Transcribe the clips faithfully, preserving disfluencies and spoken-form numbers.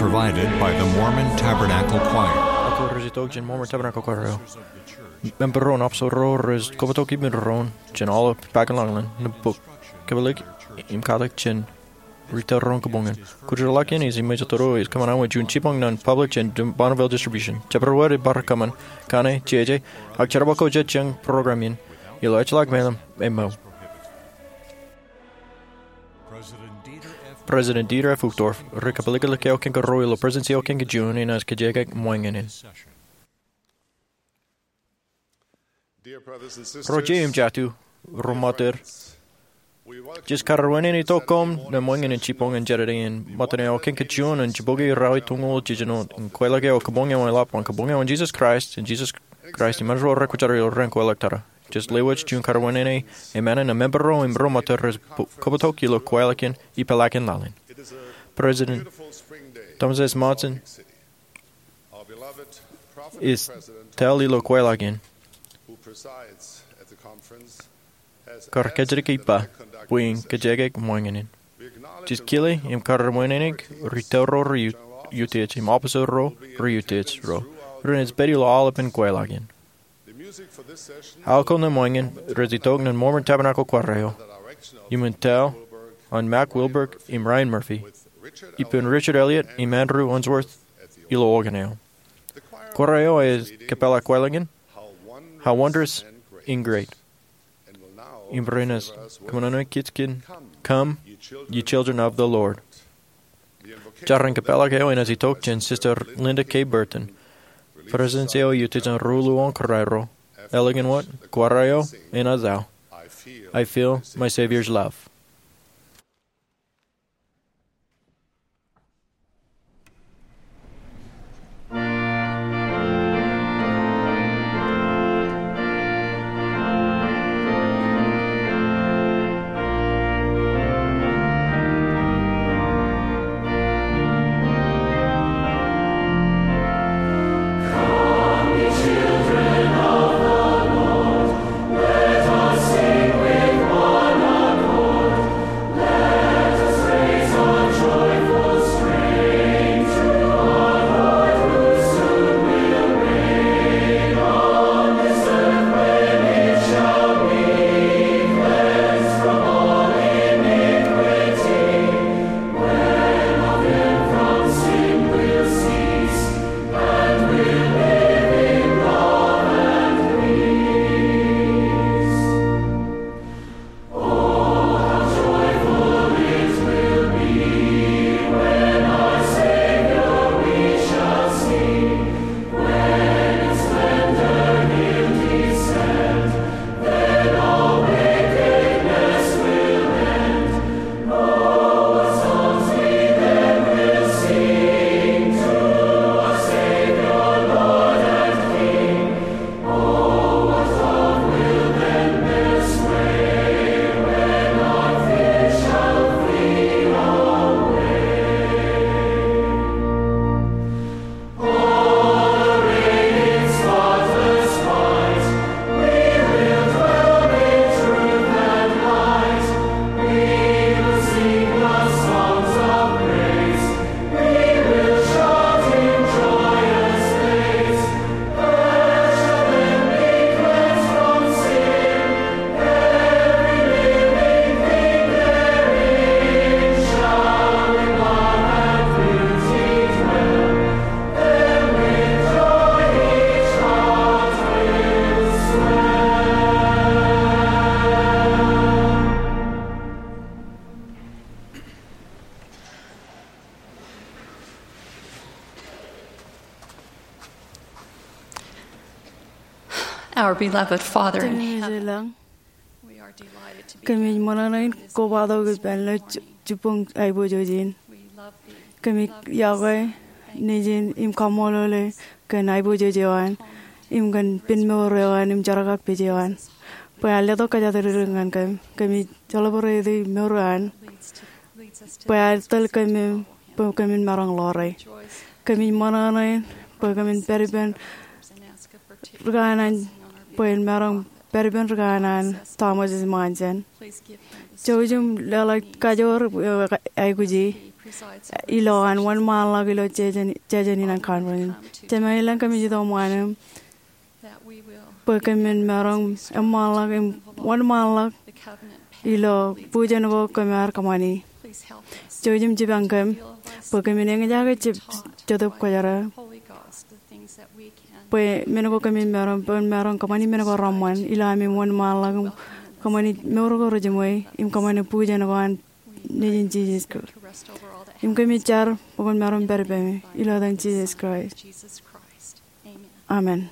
Provided by the Mormon Tabernacle Choir. Ak rej itok jān Mormon Tabernacle Choir eo. Member ro, officer ro, rej kobtok ippān doon jān aolep Bakken Lọñlọñ, nōṃba, kōpeḷḷọk im katak jān retail ro kōṃṃan. Kōjatdikdik in ej iṃōjtata ej kōṃṃan awa juon jibboñ ñan public jān Bonneville Distribution. Jabdewōt ej bar kōṃṃan kaṇe, jeje, ak jerbal ko jet jān program in ilo ejjeḷọk meḷeḷe eo. President Dieter F. Uchtdorf rej kōpeḷḷọk eo kōn kōrā ilo Presidency eo kōn kōj juon in ej kajjitōk ṃōñā in. Ro jeiū im jatū, ro ṃōttan, jej kar wōnṃaanḷọk itok koṃ ñan ṃōñā in jibboñ in Jādede in ṃōttan eo kōn kōj juon in jibboñ eo rej tōñoul jiljino in kweilọk eo kōṃṃan eo eḷap an kōṃṃan eo an Jisōs Kraist, an Jisōs Kraist iṃaan ro rekwōjarjar ilo ren kweilọk tata. Jej lewōj juon kar wōnṃaanḷọk emān in member ro im ro ṃōttan rej kobtok ilo kweilọk in ipeḷaakin laḷ in. President Thomas S. Monson ej tōl ilo kweilọk in, kar kōjatdikdik ippa bwe in kajjitōk ṃōñā in. Jej kile im kar wōnṃaanḷọk retail ro rej utiej im officer ro rej utiej ro ren ej pād ilo aolepān kweilọk in. Aolep ko ṇe ṃōñā in rej itok ñan Mormon Tabernacle Choir eo, iṃōn tōl an Mack Wilberg im Ryan Murphy, ippān Richard Elliott im Andrew Unsworth ilo organ eo. Choir eo ej kōpeḷḷọk kweilọk in, How Wondrous and Great. Im ren ej kōṃṃan kōj kōn Come, Ye Children of the Lord. Jarrin kōpeḷḷọk eo enaaj itok jān Sister Linda K. Burton, President eo ej utiej an ruo-luo-oñ kōrā ro, eḷaññe wōt, choir eo enaaj aō, I Feel My Savior's Love. Our beloved Father in heaven, kōmij ṃōṇōṇō in kobatok ippān ḷọk jibboñ aiboojoj in. Kōmij yokwe nejin im kaṃṃoolol eok kōn aiboojoj eo an im kōn pen mour eo an im jerkakpeje eo an. Bwe ear letok kōjatdikdik ñan kōm, kōmij celebrate mour eo an. Bwe ear tōl kōm bwe kōmin maroñ ḷoore. Kōmij ṃōṇōṇō in bwe kōmin pād ippān ri kanaan, bwe en maroñ pād ippān ri kanaan Thomas S. Monson. Jouj im leḷọk kajoor eo aikuji. ilo an wōnṃaanḷọk ilo jājen, jājen in an conference. Jemem, elōñ kōmij itok ṃaan im bwe kōmin maroñ eṃṃaanḷọk im wōnṃaanḷọk ilo bujen ko kōm ar kōṃṃani. Jouj im jipañ kōm bwe kōmin eñjake jab Jetōb Kwōjarjar, bwe men ko kōmin maroñ, bwe maroñ kōṃṃani men ko reṃṃan ilo ami wōnṃaanḷọk im kōṃṃani mour ko rejiṃwe im kōṃṃani bujen ko an Nejin Jisōs Kraist. Im kōmij jar bwe kwōn maroñ pād ippaṃ ilo etan Jisōs Kraist. Amen.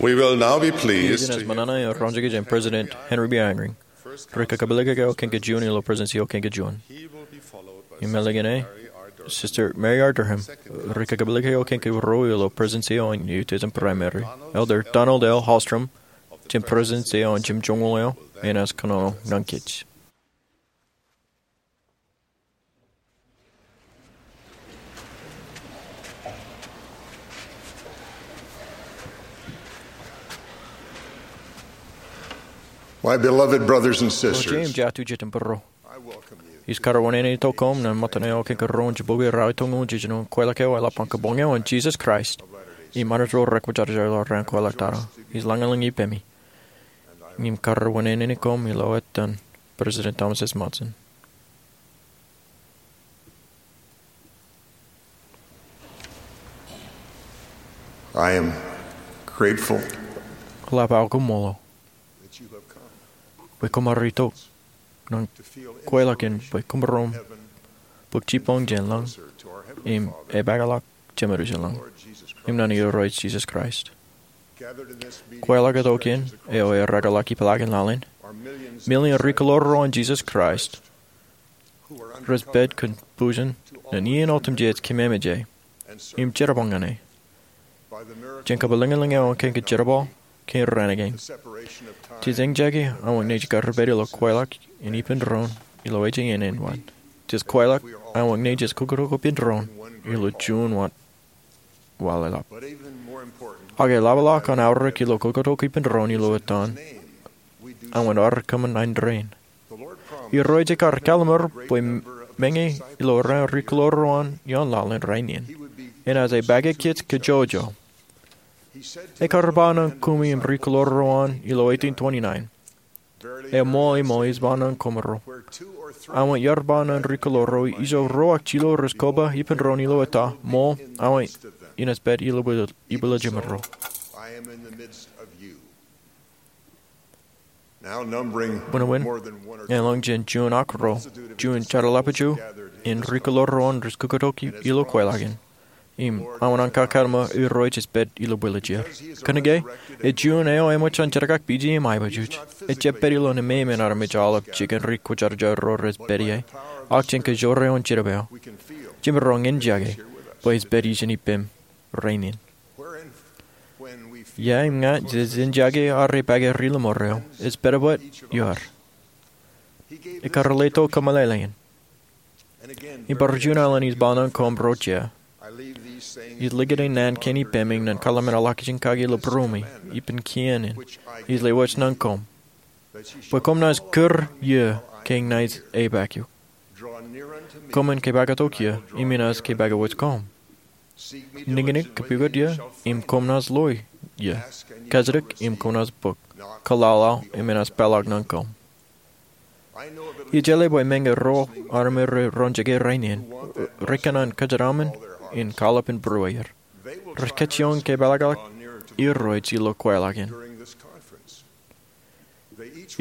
We will now be pleased Iien eo to ṃōṇōṇō in roñjake jān President Henry B. Eyring. Ri kakōpeḷḷọk eo kein kajuon ilo Presidency eo kein kajuon. Im ālikin e, Sister Mary R. Durham. Ri kakōpeḷḷọk eo kein karuo ilo Presidency eo an Utah Primary, Elder Donald L. Hallstrom, jān Presidency eo an Jimjuonñoul eo, enaaj kōnono nañjej. My beloved brothers and sisters, Ro jeiū im jatū jet im būruō. I welcome you Ij karwinene tok koṃ ñan ṃōttan eo kōn kōn ro in jibukwi raar itok ñan jiljino kweilọk eo eḷap an kabuñ eo an Jisōs Kraist im Anij ro rekwōjarjar ilo raan kweilọk tata. Ij lañlōñ ippemi im karwinene koṃ ilo etan President Thomas S. Monson. I am grateful. Eḷap aō koṃṃool bwe koṃ ar itok ñan kweilọk in bwe koṃ maroñ bōk jibboñ jān lañ im epaakḷọk Jemedwōj in lañ im ñan Irooj Jisōs Kraist. Kweilọk tok in eo ereḷọk ippaḷọk in laḷ in, milion ri-kōḷaḷ ro an Jisōs Kraist rej pād kōn bujen ñan iien otemjej kememej im jerbal ñan e. Jān kabwilōñlōñ eo an kōn kōn jerbal kōn raan kein, jej eñjake aṃ wōt naaj kar pād ilo kweilọk in ippān doon ilo ejjein āne in wōt. Jej kweilọk aṃ wōt naaj kōkkutuk ippān doon ilo juon wōt waḷ eḷap. Ak eḷapḷọk an aorōk ilo kōkkutuk ippān doon ilo etan, aṃ wōt ar kōṃṃan indein. Irooj ekar kallimur bwe meñe ilo raan ri-kōḷaḷ ro an ioon laḷ in rainin, enaaj epaake kōj kajjojo. Ekar ba ñan kumi im ri-kōḷaḷ ro an ilo eighteen twenty-nine, eṃṃool, eṃṃool, ij ba ñan koṃro, aṃ wōt iar ba ñan ri-kōḷaḷ ro ijo ro ak jilo rej koba ippān doon ilo eta, ṃool, aṃ wōt inaaj pād ibwiljimro. Buñbuñ, elōñ jān juon ak ro, juon jeorḷapju in ri-kōḷaḷ ro an rej kōkkutuk ilo kweilọk in. Im aṃ wōt an kakōḷmān Irooj ej pād ilo bwiljier. Kōnke, ej juon eo eṃōj an jerkakpeje im aiboojoj. Ejjab pād ilo nemāmein armej aolep jikin ri-kwōjarjar ro rej pād ie, ak jān kōjro eo an jinōb eo. Jemaroñ eñjake bwe ej pād ijin ippem rainin. Ia im ña jej eñjake ak epaake ri-lōṃor eo, ej pād wōt ioer. Ekar letok kōmeḷeḷein. Im bar juon alen ij ba ñan koṃro jea, ij likūt naan kein ippemi ñan kōḷmānḷọkjeṇ kaki ilo būruemi ippān kien in ij lewōj ñan koṃ, bwe koṃ naaj kūr iiō ke ña ij epaak eok. Koṃwin kōpaak tok iiō im inaaj kōpaak wōj koṃ. Niknik, kōpukot iiō, im koṃ naaj lo iiō. Kajjitōk im koṃ naaj bōk. Kōḷaḷḷaḷ im enaaj peḷḷọk ñan koṃ. Ij jeḷā bwe meñe ro armej rej roñjake rainin, rej kōṇaan kōjeraṃṃan in kōḷap in būrueir. Rej kajjioñ kōpeḷḷọk Irooj ilo kweilọk in.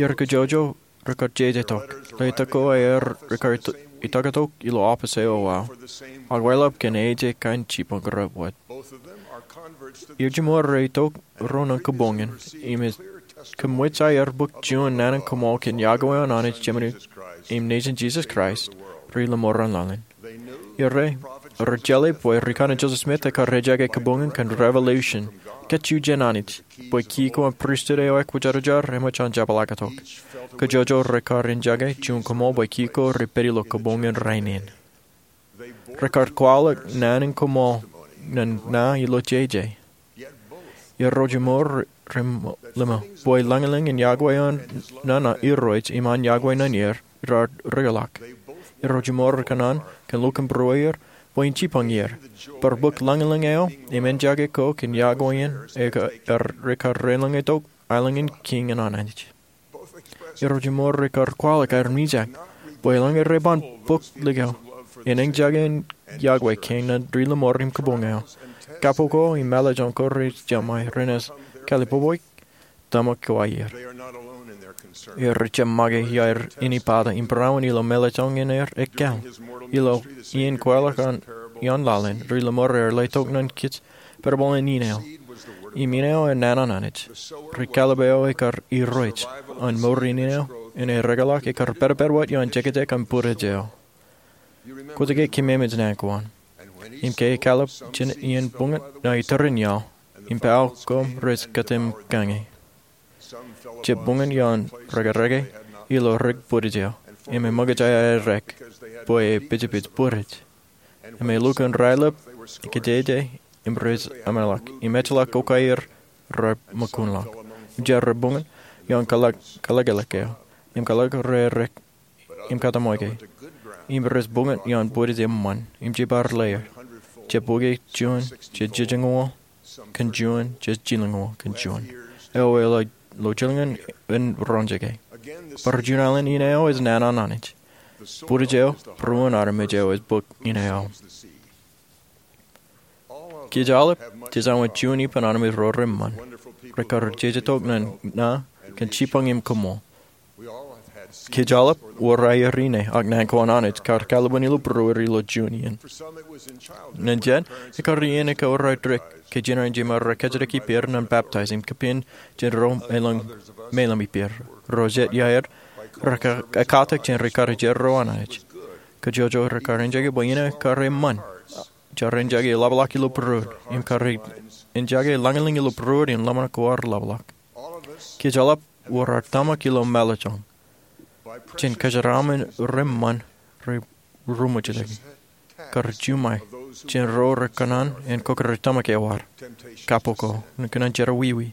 Iar kajjojo rekar jeje tok. Letok ko aer rekar itok tok ilo office eo aō, ak eḷap kōn eje kain jibboñ ro wōt. Iar jiṃor rej itok ro ñan kabuñ in, im ej kōmwōj aer bōk juon naan in koṃṃool kōn yokwe an Anij Jemem im Nejin Jisōs Kraist, ri-lōṃor an laḷ in. Iar, rej jeḷā bwe ri-kōṇaan Joseph Smith ekar ejaake kabuñ in kōn revelation, kajju jān Anij, bwe ki ko an pristut eo ekwōjarjar eṃōj an jepḷaaktok. Kajjojo rekar eñjake juon koṃṃool bwe ki ko rej pād ilo kabuñ in rainin. Rekar kwaḷọk naan in koṃṃool ñan ña ilo jeje. Irooj jiṃor rej ḷōṃō bwe lañlōñ in yokwe an ñan Irooj im an yokwe ñan er raar rūkōḷọk. Irooj jiṃor rej kōṇaan kōn lukkuun būrueir bwe en jibboñ er, bar bōk lañlōñ eo im eñjake ko kōn yokwe in eo rekar reḷōñe tok aelōñ in kiiñ an Anij. Irooj jiṃor rekar kwaḷọk aer mijak bwe eḷaññe rej ban bōk likao in eñjake in yokwe kein ñan ri-lōṃor im kabuñ eo, kapo ko im mālōtlōt ko rej jeṃḷọk renaaj kalliboboik tōmak ko aer. Rej jab make iaer inepata im būruon ilo mālōtlōt in aer ekkar. Ilo iien kweilọk ioon laḷ in, ri-lōṃor eo letok ñan kōj perebal in ineo. Im ineo en naan an Anij. Ri-kallib eo ekar Irooj an mour in ineo, en ereḷọk ekar pād pād wōt ioon jekjek an bwidej eo. Kwōj ke kememej naan ko an. Im ke ekallib jān iien buñut ṇa iturin iaḷ, im pād koṃ rej kōtōmkañe. Jab buñut ioon rekreke ilo rik bwidej eo, im eṃōkaj aerōk bwe epejpej bwidej. Im elukkuun raelep, ekjejje, im rej ameḷọk, im ejjeḷọk ko aer rej ṃōkunḷọk. Im jar rej buñut ioon kalōklōk eo, im kalōk reerōk im kōtōmweke. im rej bōk ioon bwidej eṃṃan im je bar ḷeer. Jebukwi juon je jilñuul kōn juon, je jilñuul kōn juon. Eo ej lo jilñan in roñjake. Bar juon alen, ineo ej naan an Anij. Bwidej eo, būruon armej eo ej bōk ineo. Kōj aolep jej wōnṃaanḷọk juon ippān armej ro reṃṃan, rekar jejetok ñan ṇa kōn jipañ im koṃṃool. Kōj aolep wōr aer ine ak naan ko an Anij kar kaḷapin ilo būruod ilo juon iien. Ñan jet, ekar iien ekaorōk ke jinen jeṃae rej kōjatdikdik ippāer ñan baptize im kōpin jān ro elōñ meḷeḷe ippāer. Ro jet iaer, rekar ekkatak jān ri karijer ro an Anij. Kōjwōj rekar enjake bwe ine kar eṃṃan. Jar enjake eḷapḷọk ilo būruod im kar enjake lañlōñ ilo būruod in ḷōmṇak ko ad ḷapḷọk. Kōj aolep wōr ad tōmak ilo mālōtlōt jān kōjeraaṃṃan reṃṃan rej ruṃwij ḷọk. Kar juṃae jān ro rekōṇaan en kōkōrā tōmak eo ad, kappok ko, ñan kōṇaan jerọwiwi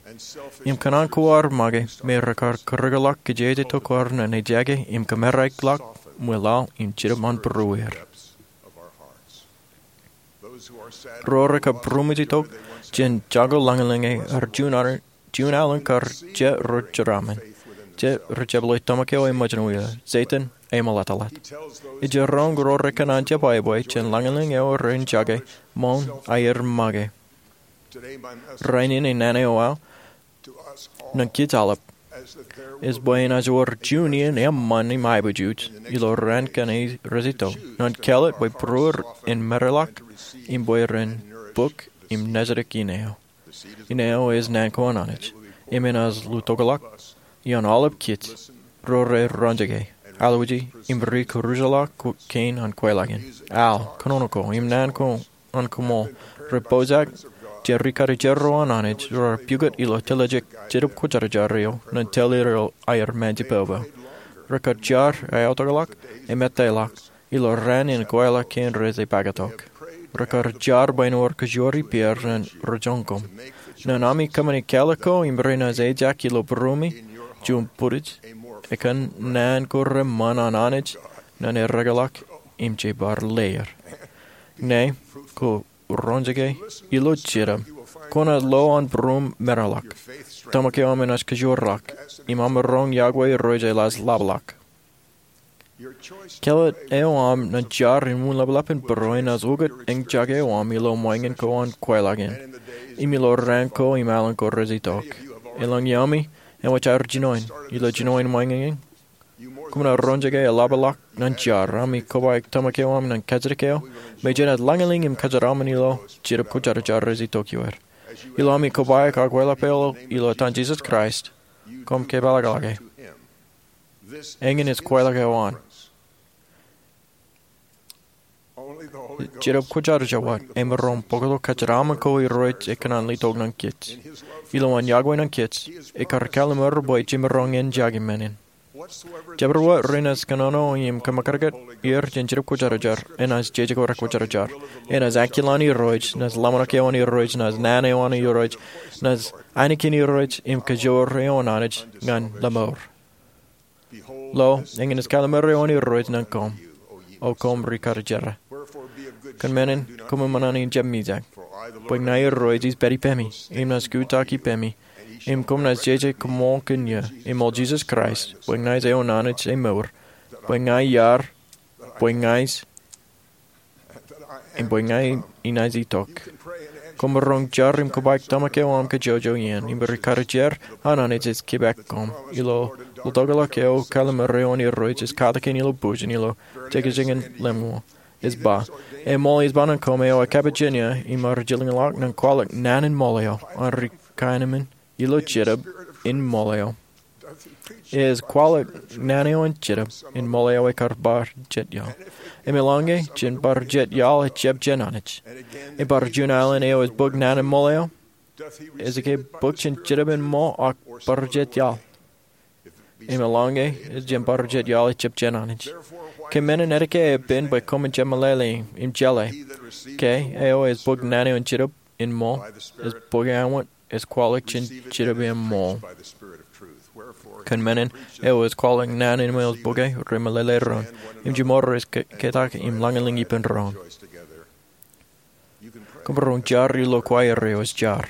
im kōṇaan ko ad make me rekar kōrọọlḷọk kōjatdikdik ko ad ñan ejake im kōmerakḷọk ṃweilaḷ im jidik an būrueir. Ro rekar būruṃwij tok jān jako lañlōñ eo ad juon alen kar je ro jeraaṃṃan, je ro jepḷaak tōmak eo ej ṃōjin wia, Setan eṃṃanḷọk. Ej roñ ro rekōṇaan jebwābwe jān lañlōñ eo rej jake ṃool aer make. Rainin naan eo aō ñan kōj aolep ej bwe enaaj wōr juon iien eṃṃan im aiboojoj ilo raan kaṇe rej itok ñan kāālōt bwe būruod en merakḷọk im bwe ren bōk im nejdik ineo. Ineo ej naan ko an Anij im enaaj lutokḷọk ioon aolep kōj ro rej roñjake, alwōji im rikūrjḷọk kein an kweilọk in. Al, kōnono ko im naan ko an koṃṃool rej pojak jān ri karijer ro an Anij ro rej pukot ilo teḷọkjeṇ Jetōb Kwōjarjar eo ñan tōl er aer ṃaanjipōpō. Rekar jar iaḷ tokḷọk im etaḷọk ilo raan in kweilọk kein rej pakatok. Rekar jar bwe en wōr kōjuon ippāer ñan ri joñan koṃ. Ñan ami kōṃṃane kāālōt ko im renaaj ejak ilo būruemi, juon bwidej, ekōṇaan ko reṃṃan an Anij ñan erekeḷọk im je bar ḷeer. Ñe ko roñjake ilo Jetōb, kwōnaaj lo an būruōm merakḷọk. Tōmak eo aṃ enaaj kōjuonḷọk im aṃ roñ yokwe irooj eḷaaj ḷapḷọk. Kāālōt eo aṃ ñan jar im uñlapḷọk in būruō enaaj ukōt eñjake eo aṃ ilo ṃōñā ko an kweilọk in im ilo raan ko im alen ko rej itok. Elōñ iaami eṃōj aer jinoin ilo jinoin ṃōñā in. Koṃ naaj roñjake eḷapḷọk ñan jar. Ami kobaik tōmak eo aṃ ñan kajjitōk eo me jenaaj lañlōñ im kōjeraaṃṃan ilo Jetōb Kwōjarjar rej itok ioer. Ilo ami kobaik akwālep eo ilo etan Jisōs Kraist, koṃ kōpeḷḷọk e. Eñin ej kweilọk eo an Jetōb Kwōjarjar wōt emaroñ bōktok kōjeraaṃṃan ko irooj ekōṇaan letok ñan kōj. Ilo an yokwe ñan kōj, ekar kalimur bwe jemaroñ eñjake men in. Jabdewōt renaaj kōnono im kōṃōkajkōt er jān Jetōb Kwōjarjar enaaj jeje ko rekwōjarjar. Enaaj akilōñ irooj, naaj ḷōmṇak eo an irooj, naaj naan eo an irooj, naaj ainikien irooj im kōjoor eo an Anij ñan lemour. Lo, eñin ej kalimur eo an irooj ñan koṃ, O koṃ ri karijer. Kōn men in, koṃwin ṃōṇōṇō in jab mijak. Bwe ña irooj ij pād ippemi im naaj kutaki ippemi, im koṃ naaj jeje koṃṃool kōn eō, im ṃool Jisōs Kraist, bwe ña ij eo an Anij emour, bwe ña iar, bwe ña ij, im bwe ña inaaj itok. Koṃ maroñ jar im kobaik tōmak eo aṃ kajjojo iien, im ri karijer an Anij ej kōpeḷḷọk koṃ. Ilo lutokḷọk eo, kalimur eo an irooj ej katakin ilo bujin ilo jekjek in lemñoul. Ej ba, Eṃṃool ij ba ñan koṃ eo ekāpijin eō im ar jilkinḷọk ñan kwaḷọk naan in ṃool eo an ri kaenōṃṃan ilo Jetōb in ṃool eo. Ej kwaḷọk naan eo an Jetōb in ṃool eo ekar bar jet iaḷ. Im eḷaññe jān bar jet iaḷ ejjab jān Anij, im bar juon alen eo ej bōk naan in ṃool eo, ej ke bōk jān Jetōb in ṃool ak bar jet iaḷ? Im eḷaññe jān bar jet iaḷ ejjab jān Anij, ke men in etke epen bwe koṃwin jemeḷeḷe im jeḷā ke eo ej bōk naan eo an Jetōb in ṃool ej bōk aṃ wōt ej kwaḷọk jān Jetōb in ṃool? Kōn men in, eo ej kwaḷọk naan in ṃweo ej bōke, remeḷeḷe doon. Im jiṃor rej ke-, ketak im lañlōñ ippān doon. Kōmro jar ilo choir eo ej jar.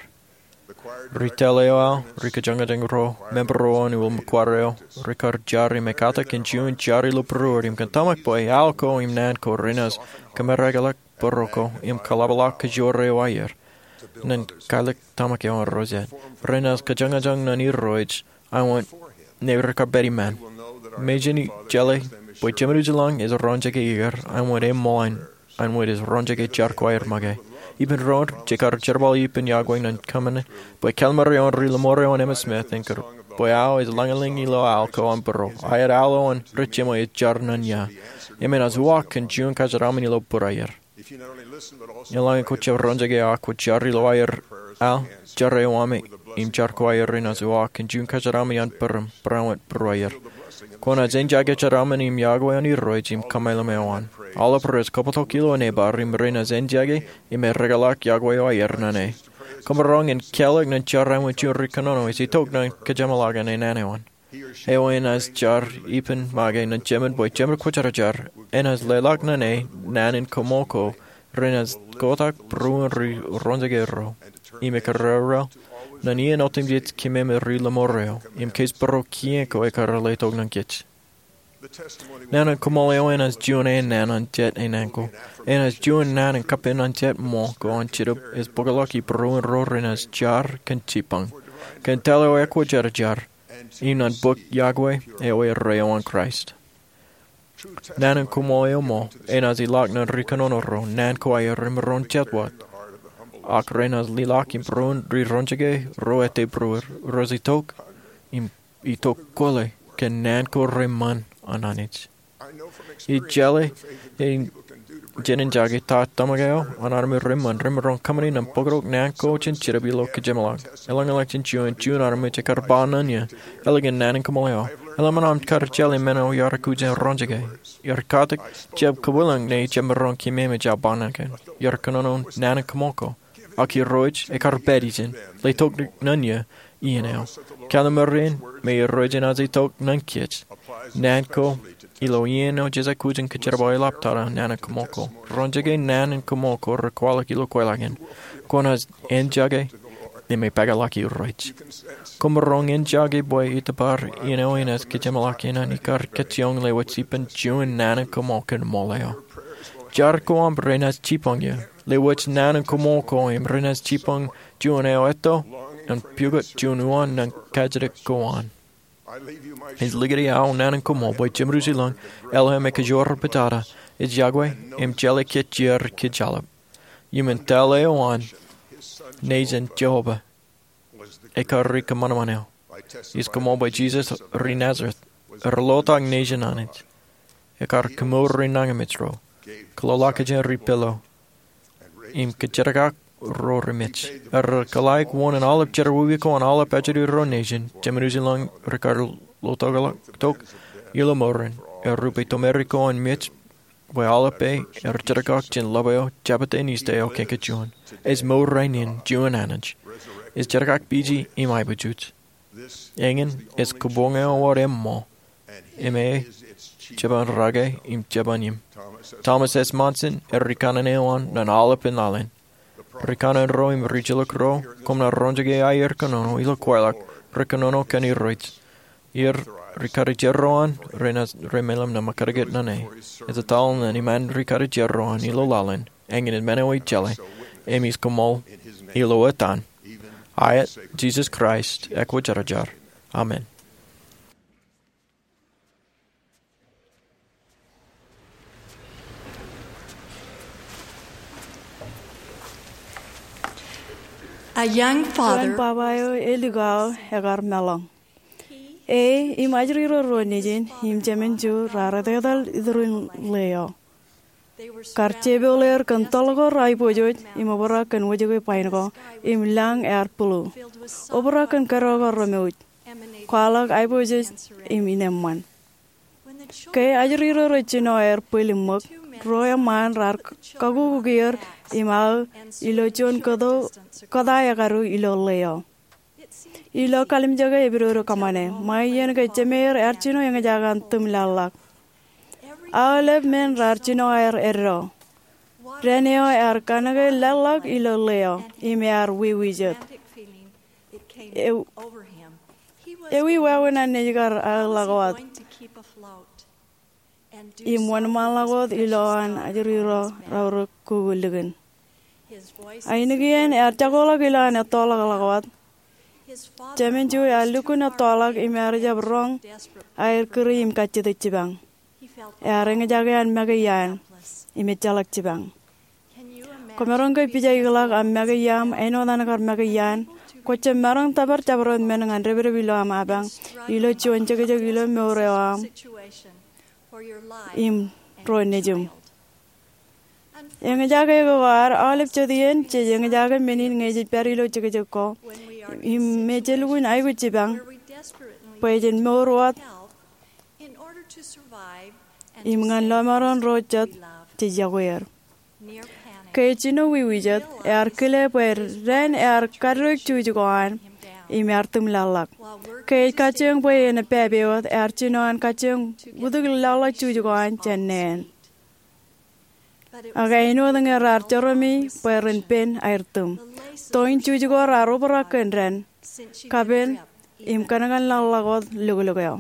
Ri tōl eo aō, ri kōjañjañ ro, member ro an ilo choir eo, rekar jar im ekkatak kōn juon jar ilo būruod im kōn tōmak bwe al ko im naan ko renaaj kōmerakḷọk bōro ko im kaḷapḷọk kōjro eo aer. Ñan kaaliktōmak eo an ro jet. Renaaj kōjañjañ ñan Irooj, āinwōt ñe rekar pād iṃaan. Mejān ij jeḷā bwe Jemān Ujilañ ej roñjake er, āinwōt eṃṃool an āinwōt ej roñjake jar choir make. Ippān doon, jekar jerbal ippān yokwe ñan kōṃṃane, bwe kallim̧ur eo an ri Lemur eo an Emmitt Smith en kar, bwe aō ej lañlōñ ilo al ko an būruod. Aet al eo an rej jiṃwe ej jar ñan ia. Im enaaj uwaak kōn juon kōjeraaṃṃan ilo būruod aer. Eḷaññe kwōj jab roñjake, ak kwōj jar ilo aer al, jar eo aṃ im jar choir renaaj uwaak kōn juon kōjeraaṃṃan an bōrōṃ, barāinwōt būruod aer. Kwōnaaj eñjake jeraaṃṃan im yokwe an Irooj im kōmeḷeḷe eo an. Aolep rej kōbōtok ilo nebar im renaaj eñjake im erekeḷọk yokwe eo aer ñan e. Kōmro roñ in kālọk ñan jar āinwōt juon ri kōnono ej itok ñan kōjeṃḷọk ñan naan eo an. Eo enaaj jar ippān make ñan Jemān bwe Jemān Kwōjarjar, enaaj leḷọk ñan e naan in koṃṃool ko renaaj kotak būruon ri roñjake ro. Im ekar rūrū ñan iien otemjej kōṃṃane ri Lemur eo im kōjparok kien ko ekar letok ñan kōj. Naan in koṃṃool eo enaaj juon ennaan an jet ennaan ko. Enaaj juon naan in kappān an jet ṃool ko an Jetōb ej bōkḷọk ibūruon ro renaaj jar kōn jipañ, kōn tōl eo ekwōjarjar, im ñan bōk yokwe eo erreo an Kraist. Naan in koṃṃool eo ṃool enaaj ilọk ñan ri kōnono ro, naan ko aer remaroñ jet wōt. Ak renaaj lelọk im būruon ri roñjake ro ettā būruod, rej itok im itok kwōle kōn naan ko reṃṃan an Anij. Ij jeḷā jān in jake ta tōmak eo an armej reṃṃan remaroñ kōṃṃane ñan bōktok naan ko jān Jetōb ilo kōjeṃḷọk. Eḷaññe ḷọk jān juon, juon armej ekar ba ñan eō, eḷap ñan naan in koṃṃool eo. Eḷap ñan aṃ kar jeḷā men eo iar kouj roñjake. Iar katak jab kōwilōñ ñe jemaroñ kōṃṃane jab ba ñan kōn. Iar kōnono naan in koṃṃool ko. Ak Irooj ekar pād ijin, letok ñan eō iien eo. Kallim̧ur in, me Irooj enaaj itok ñan kōj. Naan ko ilo iien eo jej aikuj in kōjerbal eḷaptata naan in koṃṃool ko. Roñjake naan in koṃṃool ko rekwaḷọk ilo kweilọk in. Kwōnaaj eñjake im epakaḷọk Irooj. Kōmro eñjake bwe itōpar iien eo enaaj kōjeṃḷọk in an ikar kajjioñ lewōj ippān juon naan in koṃṃool kōn ṃool eo. Jar ko aṃ renaaj jipañ eō. Lewōj naan in koṃṃool ko im renaaj jipañ juon eo etto ñan pukot juon uwaan ñan kajjitōk ko an. Ij likūti aō naan in koṃṃool bwe Jemān Ujilañ, eḷap ñe kōjro rej pojada, ej yokwe im jeḷā kōj jeor kōj aolep. Iṃōn tōl eo an, nejin Jeova, ekar ri kōṃanṃan eo. Ij koṃṃool bwe Jisōs ri Nazeret, erḷotak nejin Anij. Ekar kōmour ri nañinmej ro, kōḷḷaakjān ri pālo, im kōjerkak ro remej. Erḷọk wōn in aolep jerọwiwi ko an aolep ajri ro nejin, Jemān Ujilañ rekar ḷotak tok ilo mour in, erupe tomerik ko an mej, bwe aolep er jerkak jān ḷap eo, jabōt in ijin eo kōn kōj juon. Ej mour rainin juon Anij. Ej jerkak piji im aiboojoj. Eñin ej kōboñ eo wōt eṃṃool. Im e jeban rake im jeban im. Thomas S. Monson, er ri kanaan eo an ñan aolepān laḷ in. Ri kanaan ro im ri jilkinḷọk ro, koṃ naaj roñjake aer kōnono ilo kweilọk, rej kōnono kōn Irooj. Im ri karijerro an, renaaj, remeḷeḷe ñan ṃōkaj ñan e. Ej etal ñan iṃaan ri karijerro an ilo laḷ in, eñin in men eo ij jeḷā, im ij koṃṃool ilo etan, aet Jisōs Kraist, ekwōjarjar. Amen. A young father. Juon baba eo elik aō ekar meḷọñ. E im ajri ro ruo nejin im jemān Ju raar etetal itūrin ḷeo. Kar jepel er kōn tōl ko reaiboojoj im obrak kōn wōjke bain ko im lañ ear blue. Obrak kōn kōdọ ko remouj. Kwaḷọk aiboojoj im ineṃṃan. Ke ajri ro rej jino aer bwil im ṃōk, ruo eṃṃaan raar kakukukier im aō ilo juon kōto kōtaekadu ilo ḷeo. Ilo kalimjeke epidodo kōṃṃane, ṃae iien ke jemeir ear jino eñjake an tūm laḷḷọk. Aolep men raar jino aer eddo. Dān eo ear kanōke laḷḷọk ilo ḷeo im ear wiwijet. Ewi wāween an nejkar aō ḷọk wōt im wōnṃaanḷọk wōt ilowaan ajri ro raorōk kukulikin. Ainikien ear jakoḷọk ilowaan ettoḷọk ḷọk wōt. Jemān juon ear lukkuun ettoḷọk im ear jab roñ aer kūri im kajjitōk jipañ. Ear eñjake an make iaan im ejjeḷọk jipañ. Kwōmaroñ ke pija ikōḷọk aṃ make iaṃ āinwōt an kar make iaan? Kwō jab maroñ tōpar jabdewōt men ñan depdep ilo aṃ apañ ilo juon jekjek ilo mour eo aṃ im ro nejiṃ. Eñjake ko ad, aolep jet iien jej eñjake men in ñe jej pād ilo jekjek ko im me je lukkuun aikuj jipañ bwe jen mour wōt im ñan lọmọọren ro jet jej yokwe er. Ke ej jino wiwijet, ear kile bwe dān ear kaddeik juj ko an im ear tūm laḷḷọk. Ke ej kajjioñ bwe en epāpe wōt, ear jino an kajjioñ wūtik laḷḷọk juj ko an jān neen. Ak āinwōt ñe raar jerọmi bwe ren pen aer tūm, toin juj ko raar obrak kōn dān, kapen im kankan laḷḷọk wōt loklok eo.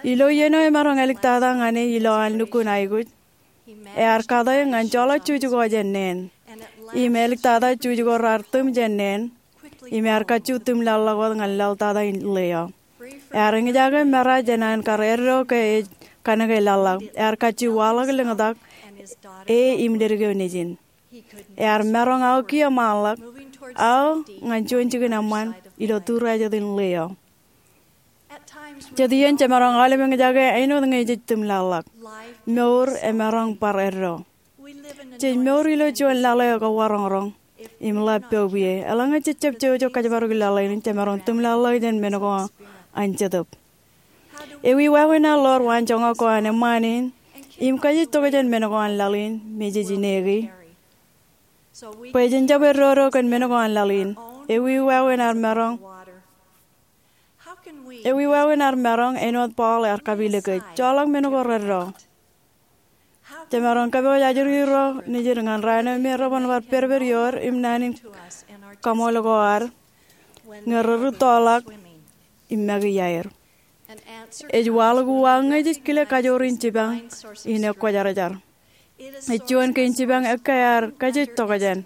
Ilo iien eo emaroñ āliktata ñan e ilowaan lukkuun aikuj, ear kate ñan joḷọk juj ko jān neen. Im āliktata juj ko raar tūm jān neen, im ear kajju tūm laḷḷọk wōt ñan laḷtata in ḷeo. Ear eñjake mera jān an kar eddo ke ej kanōke laḷḷọk. Ear kajju waḷọk lōñtak e im ledik eo nejin. Ear maroñ aō kiiō ṃaanḷọk, aō ñan juon jikin eṃṃan ilo tūrā jet in ḷeo. Jet iien jemaroñ aolep eñjake āinwōt ñe jej tūm laḷḷọk. Mour emaroñ bar eddo. Jej mour ilo juon laḷ eo kawaroñroñ im ḷap poub ie. Eḷaññe jej jab jouj kōjparok laḷ in, jemaroñ tūm laḷḷọk jān men ko an Jetōb. Ewi wāween ad ḷoor waanjoñak ko an eṃṃaan in im kajjitōk jān men ko an laḷ in me jej ineki bwe jen jab eddodo kōn men ko an laḷ in? Ewi wāween ad maroñ Ewi wāween ad maroñ, āinwōt Paul ear kapeilōk kōj, joḷọk men ko reddo? Jemaroñ kōpooj ajri ro nejid ñan raan eo me reban bar pedped ioer im naan in kaṃool ko ad ñe rej rūttoḷọk im make iaer. Ej waḷọk uwaak ñe jej kile kajoor in jipañ in ekwōjarjar. Ej juon kein jipañ ekkā ear kajjitōk jān.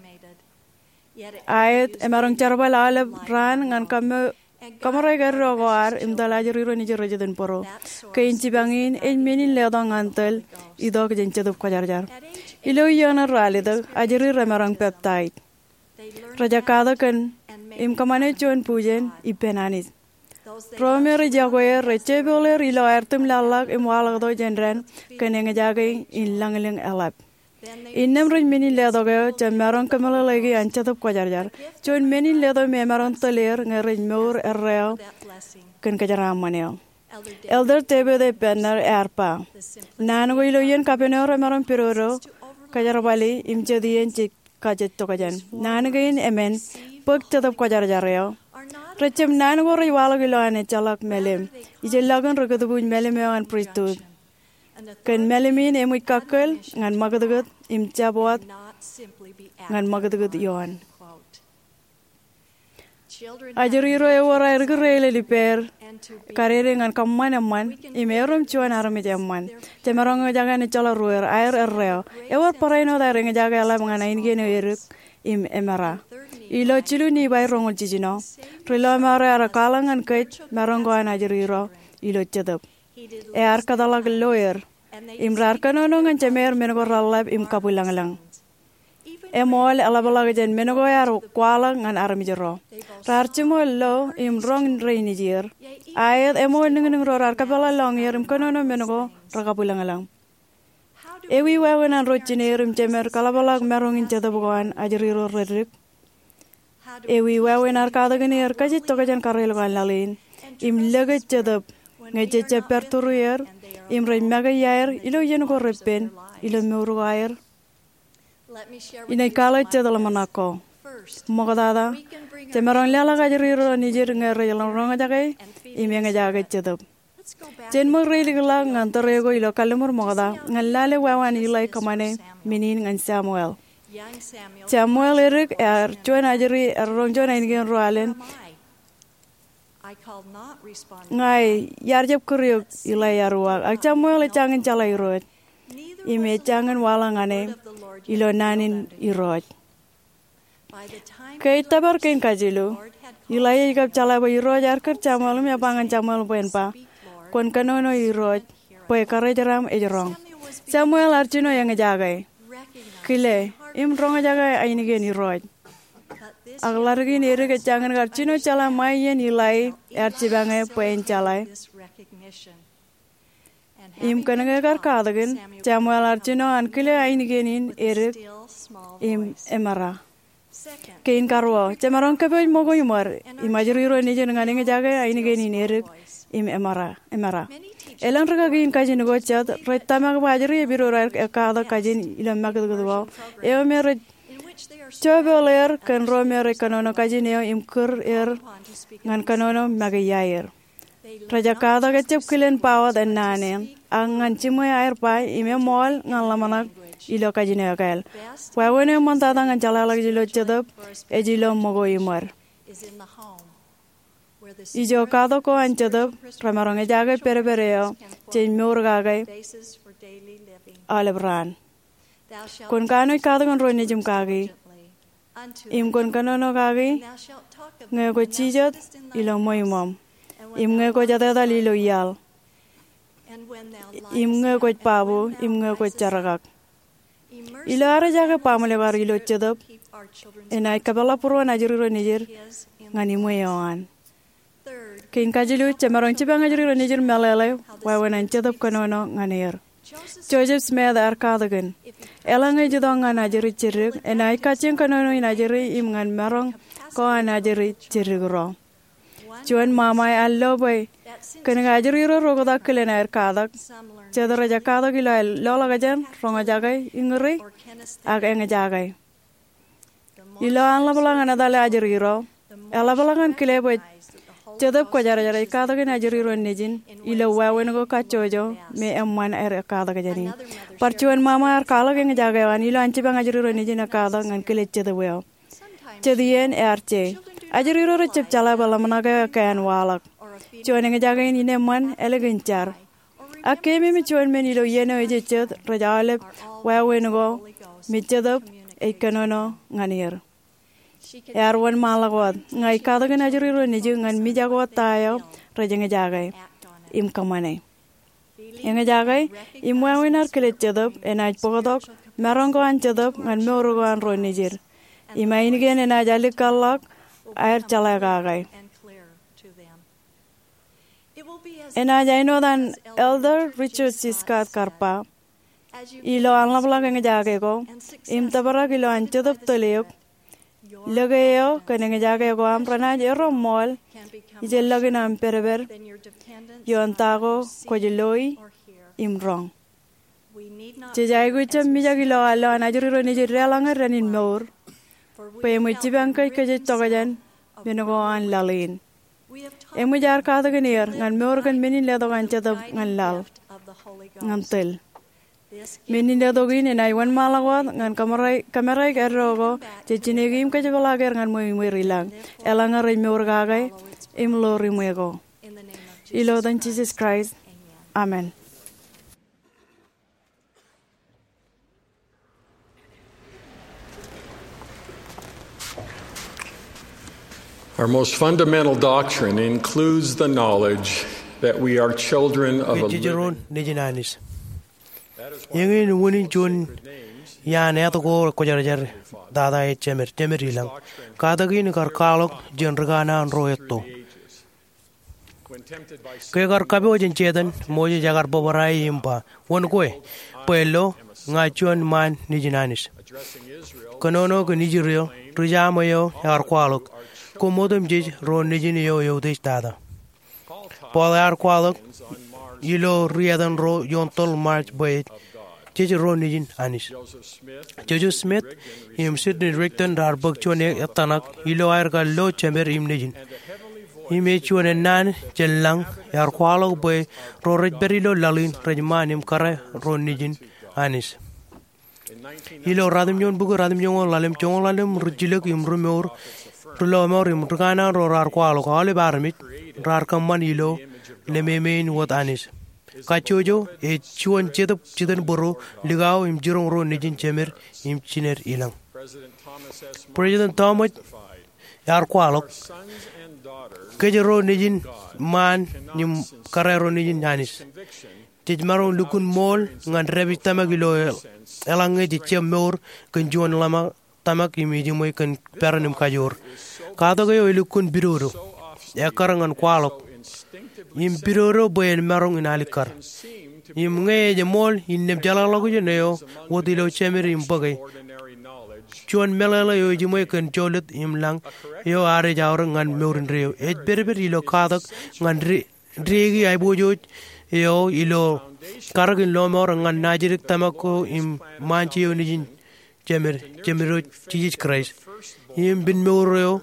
Aet, emaroñ jerbal aolep raan ñan kaṃōrā eddo ko ad im tōl ajri ro nejid rej jitōnbōro. Kein jipañ in ej men in letok ñan tōl itok jān Jetōb Kwōjarjar. Ilo iien eo ralitōk, ajri remaroñ peptaij. Rej ekkā kōn im kōṃṃane juon bujen ippān Anij. Ro me rej yokwe er rej jepooḷ er ilo aer tūm laḷḷọk im waḷọktok jān dān kōn eñjake in lañlōñ eḷap. Innām rej men in letok eo jab maroñ kōmeḷeḷeiki an Jetōb Kwōjarjar, juon men in letok me emaroñ tōl er ñe rej mour erreo kōn kōjeraaṃṃan eo. Elder David A. Bednar ear ba, naan ko ilo iien kapen eo remaroñ pedodo, kōjerbali im jet iien jej kajjitōk jān. Naan kein emān, bōk Jetōb Kwōjarjar eo, rejjab naan ko rej waḷọk ilowaan ejjeḷọk mālim. Ijellọkin rekūtbuuj mālim eo an pristut. Kōn mālim in eṃōj kakkōl ñan ṃakūtkūt im jab wōt ñan ṃakūtkūt ioon. Ajri ro ewōr aer kūr eilel ippāer kadede ñan kōṃṃan eṃṃan im erom juon armej eṃṃan. Jemaroñ eñjake an ejjeḷọk ruer, aer erreo. Ewōr barāinwōt aer eñjake eḷap ñan ainikien eo edik im emera. Ilo jilu Nifai roñoul jiljino, ri-lọmọọr eo ear kwaḷọk ñan kōj maroñ ko an ajri ro ilo Jetōb. Ear kōtḷọk lo er im raar kōnono ñan jemeir men ko reḷḷap im kabwilōñlōñ. Eṃool eḷapḷọk jān men ko ear kwaḷọk ñan armej ro. Raar jiṃor lo im roñ rein nejier. Aet, eṃool niñniñ ro raar kōpeḷḷọk lọñier im kōnono men ko rekabwilōñlōñ. Ewi wāween an ro jineer im jemed kaḷapḷọk maroñ in Jetōb ko an ajri ro redik? Ewi wāween ad katakin er kajjitōk jān karreoḷ ko an laḷ in im lōke Jetōb ñe jej jab pād tūrier im rej make iaer ilo iien ko repen ilo mour ko aer? Inaaj kwaḷọk jet ḷōmṇak ko. Ṃoktata, jemaroñ leḷọk ajri ro nejid ñe rej roñjake im eñjake Jetōb. Jen ṃōk reilikḷọk ñan tōre ko ilo Kalliṃur Ṃokta ñan lale wāween Ilai kōṃṃane men in ñan Samuel. Samuel edik ear juon ajri ear roñ juon ainikien ruo alen, ña iar jab kūr eok, Ilai ear uwaak. Ak Samuel ejjañin jeḷā Irooj im ejjañin waḷọk ñan e ilo naan in Irooj. Ke ej tōpar kein kajilu, Ilai ej kab jeḷā bwe Irooj ear kūr Samuel im ej ba ñan Samuel bwe en ba, kwōn kōnono Irooj bwe karijeraṃ ej roñ. Samuel ear jino eñjake, kile, im roñjake ainikien Irooj. Ak ḷaddik in edik ejjañin kar jino jeḷā ṃae iien Ilai ear jipañe bwe en jeḷā. Im kōnke ekar katakin, Samuel ear jino an kile ainikien in edik im emera. Kein karuo, jemaroñ kōpooj ṃōko iṃōd im ajri ro nejid ñan eñjake ainikien in edik im emera. Elōñ rikaki in kajin ko jet rej tōmak bwe ajri epidodo aer ekkatak kajin ilo ṃakūtkūt ko eo me rej jopeḷ er kōn ro me rej kōnono kajin eo im kūr er ñan kōnono make iaer. Rej ekkatak ejab kilen ba wōt ennaan eṇ, ak ñan jiṃwe aer ba im eṃool ñan ḷōmṇak ilo kajin eo ekāāl. Wāween eo eṃṃantata ñan jeḷāḷọkjeṇ ilo Jetōb ej ilo ṃōko iṃōd. Ijo katak ko an Jetōb remaroñ ejaake pedped eo jej mour kake aolep raan. Kwōn kanooj katakin ro nejiṃ kaki, im kwōn kōnono kaki ñe kwōj jijet ilo ṃweiṃōṃ, im ñe kwōj etetal ilo iaḷ, im ñe kwōj babu, im ñe kwōj jerkak. Ilo ad ejaake baaṃle ko ad ilo Jetōb, enaaj kōpeḷḷọk būruon ajri ro nejid ñan iṃwe eo an. Kein kajilu, jemaroñ jipañ ajri ro nejid meḷeḷe wāween an Jetōb kōnono ñan er. Joseph Smith ear katakin, eḷaññe ej itok ñan ajri jiddik, enaaj kajjien kōnono in ajri im ñan maroñ ko an ajri jiddik ro. Juon ṃaṃa ear lo bwe kōnke ajri ro roktak kilen aer katak, jet rej ekkatak ilo aer loḷọkjeṇ, roñjake, iñri, ak eñjake. Ilo an ḷapḷọk ñan etale ajri ro, eḷapḷọk ñan kile bwe Jetōb Kwōjarjar ej katakin ajri ro nejin ilo wāween ko kajjojo me eṃṃan aer ekkatak jāne. Bar juon ṃaṃa ear kwaḷọk eñjake eo an ilo an jipañ ajri ro nejin ekkatak ñan kile Jetōb eo. Jet iien ear je, ajri ro rejjab jeḷā bwe ḷōmṇak eo ekkā an waḷọk. Juon eñjake in eṃṃan ālikin jar. Ak keememej juon men ilo iien eo ejejjet rej aolep wāween ko me Jetōb ej kōnono ñan er. Ear wōnṃaanḷọk wōt, ña ij katakin ajri ro nejū ñan mijak wōt ta eo rej eñjake im kōṃṃane. Eñjake im wāween ad kile Jetōb enaaj bōktok maroñ ko an Jetōb ñan mour ko an ro nejid. Im ainikien enaaj alikkar ḷọk aer jeḷā kake. Enaaj āinwōt an Elder Richard C. Scott kar ba, ilo an ḷapḷọk eñjake ko im tōprak ilo an Jetōb tōl eok, lōke eo kōn eñjake ko aṃ renaaj erom ṃool ijellọkin aṃ pedped ioon ta ko kwōj loi im roñ. Jej aikuj jab mijak ilo aō lo an ajri ro nejid deḷọñe dān in mour, bwe eṃōj jipañ kōj kōj jej tokjān men ko an laḷ in. Eṃōj aer katakin er ñan mour kōn men in letok an Jetōb ñan laḷ, ñan tōl. Men in letok in enaaj wōnṃaanḷọk wōt ñan kōṃōraik eddo ko jej jineki im kōjepḷaak er ñan ṃweiṃweir ilañ, eḷaññe rej mour kake im ḷoor iṃwe ko. Ilo etan Jisōs Kraist, amen. Our most fundamental doctrine includes the knowledge that we are children of a living. Kōj jej ro nejin Anij. Eñin unin juon iaan āt ko kwōjarjar, Tata ej Jemed, Jemed ilañ. Katak in kar kwaḷọk jān ri kanaan ro etto. Ke kar kapooje jān Setan, Moses ekar bōbrae im ba, wōn kwe? Bwe lo, ña juon ṃaan nejin Anij. Kōnono kōn Israel, ri jaṃ eo ekar kwaḷọk, koṃ otemjej ro nejin eo eutiej tata. Paul ear kwaḷọk ilo ri etan ro ioon tōl March bwe jej ro nejin Anij. Joseph Smith im Sidney Rigdon raar bōk juon ettanak ilo aer kar lo jemed im nejin. Im ej juon ennaan jān lañ ear kwaḷọk bwe ro rej pād ilo laḷ in rej ṃaan im kōrā ro nejin Anij. Ilo ratimjuon bukwi ratimjuonñoul ḷalem, joñoul ḷalem rijjilōk im rimour, ri-lọmọọr im rikanono ro raar kwaḷọk aolep armej raar kōṃṃan ilo lememeen wōt Anij. Kajjojo ej juon jetōb jitōnbōro likao im jiroñ ro nejin jemed im jined ilañ. President Thomas ear kwaḷọk, kōj ro nejin ṃaan im kōrā ro nejin Anij. Jej maroñ lukkuun ṃool ñan dāpij tōmak ilo eḷaññe jej jab mour kōn juon ḷōmṇak tōmak im ejiṃwe kōn peran im kajoor. Katak eo elukkuun pidodo, ekkar ñan kwaḷọk, im pidodo bwe en maroñ in alikkar. Im ñe ej ṃool innām jeḷāḷọkjeṇ eo wōt ilo jemed im bōke, juon meḷeḷe eo ejiṃwe kōn jolōt im lañ eo ad ej aorōk ñan mour indeeo. Ej pedped ilo katak ñan dāpij aiboojoj eo ilo karōk in lọmọọr ñan najidik tōmak ko im ṃaan jeo nejin jemed, jemed eo Jisōs Kraist. Im pen mour eo,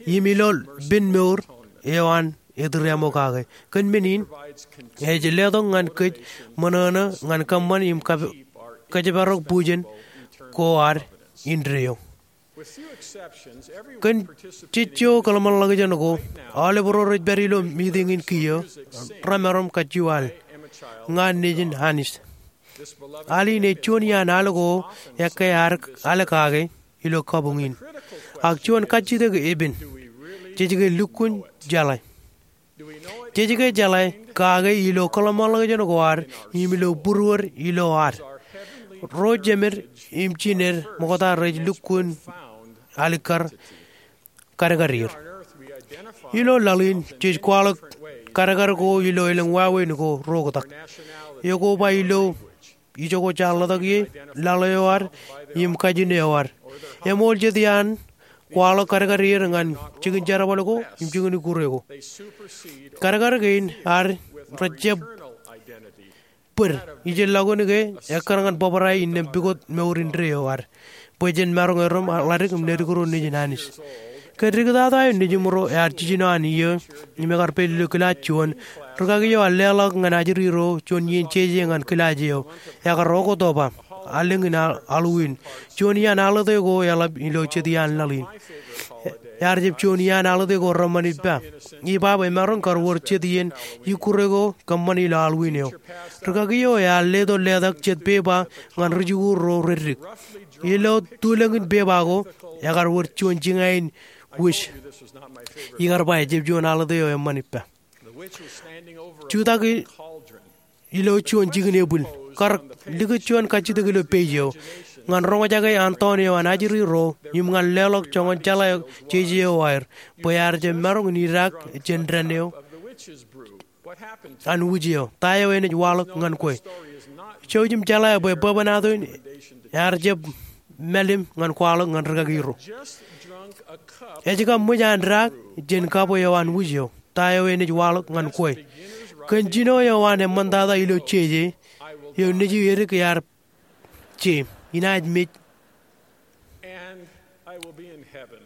im ilo pen mour eo an etūreaṃo kake. Kōn men in, ej letok ñan kōj ṃōṇōṇō ñan kōṃṃan im kab-, kōjparok bujen ko ad indeeo. Kōn jejjo kōḷmānḷọkjeṇ ko, aolep ro rej pād ilo meeting in kiiō, remaroñ kajju al, ña nejin Anij. Al in ej juon iaan al ko ekkā al kake ilo kabuñ in. Ak juon kajjitōk epen, jej ke lukkuun jeḷā? Jej ke jeḷā kake ilo kōḷmānḷọkjeṇ ko ad im ilo būruod ilo ad? Ro jemed im jined ṃokta rej lukkuun alikkar kadkad er. Ilo laḷ in, jej kwaḷọk kadkad ko ilo elōñ wāween ko ro oktak. Ekoba ilo ijoko jaar ḷotak ie, laḷ eo ad, im kajin eo ad. Eṃool jet iaan kwaḷọk kadkad er ñan jikin jerbal ko im jikin ikkure ko. Kadkad kein ad rej jab bōd, ijellọkin ke ekkar ñan bōbrae innām pukot mour indeeo ad, bwe jen maroñ erom ḷadik im ledik ro nejin Anij. Kōn diktata eo nejiṃro ear jiljino an iiō im ekar pād ilo kilaaj juon, rūkaki eo ear leḷọk ñan ajri ro juon iien jeje ñan kilaaj eo. Ekar oktoba, allōñ in al-, aḷuwin. Juon iaan aḷote ko eḷap ilo jet iaan laḷ in. Ear jab juon iaan aḷote ko reṃṃan ippa. Ippa bwe emaroñ kar wōr jet iien ikkure ko kōṃṃan ilo aḷuwin eo. Rūkaki eo ear leto letak jet pepa ñan ri-jikuuḷ ro reddik. Ilo tulōñ in pepa ko, ekar wōr juon jiñā in wūj. Ikar ba ejab juon aḷote eo eṃṃan ippa. Jutak i-, ilo juon jikin ebwil. Kar likūt juon kajjitōk ilo page eo ñan roñjake antoon eo an ajri ro im ñan leḷọk joñan jeḷā jeje eo aer, bwe ear jab maroñ in idaak jān dān eo an wūj eo. Ta eo enaaj waḷọk ñan kwe? Jouj im jeḷā bwe bwebwenato in ear jab mālim ñan kwaḷọk ñan rūkaki ro. Ej kab ṃōj an daak jān kab eo an wūj eo. Ta eo enaaj waḷọk ñan kwe? Kōn jino eo an eṃṃantata ilo jeje eo nejū edik ear je, inaaj mej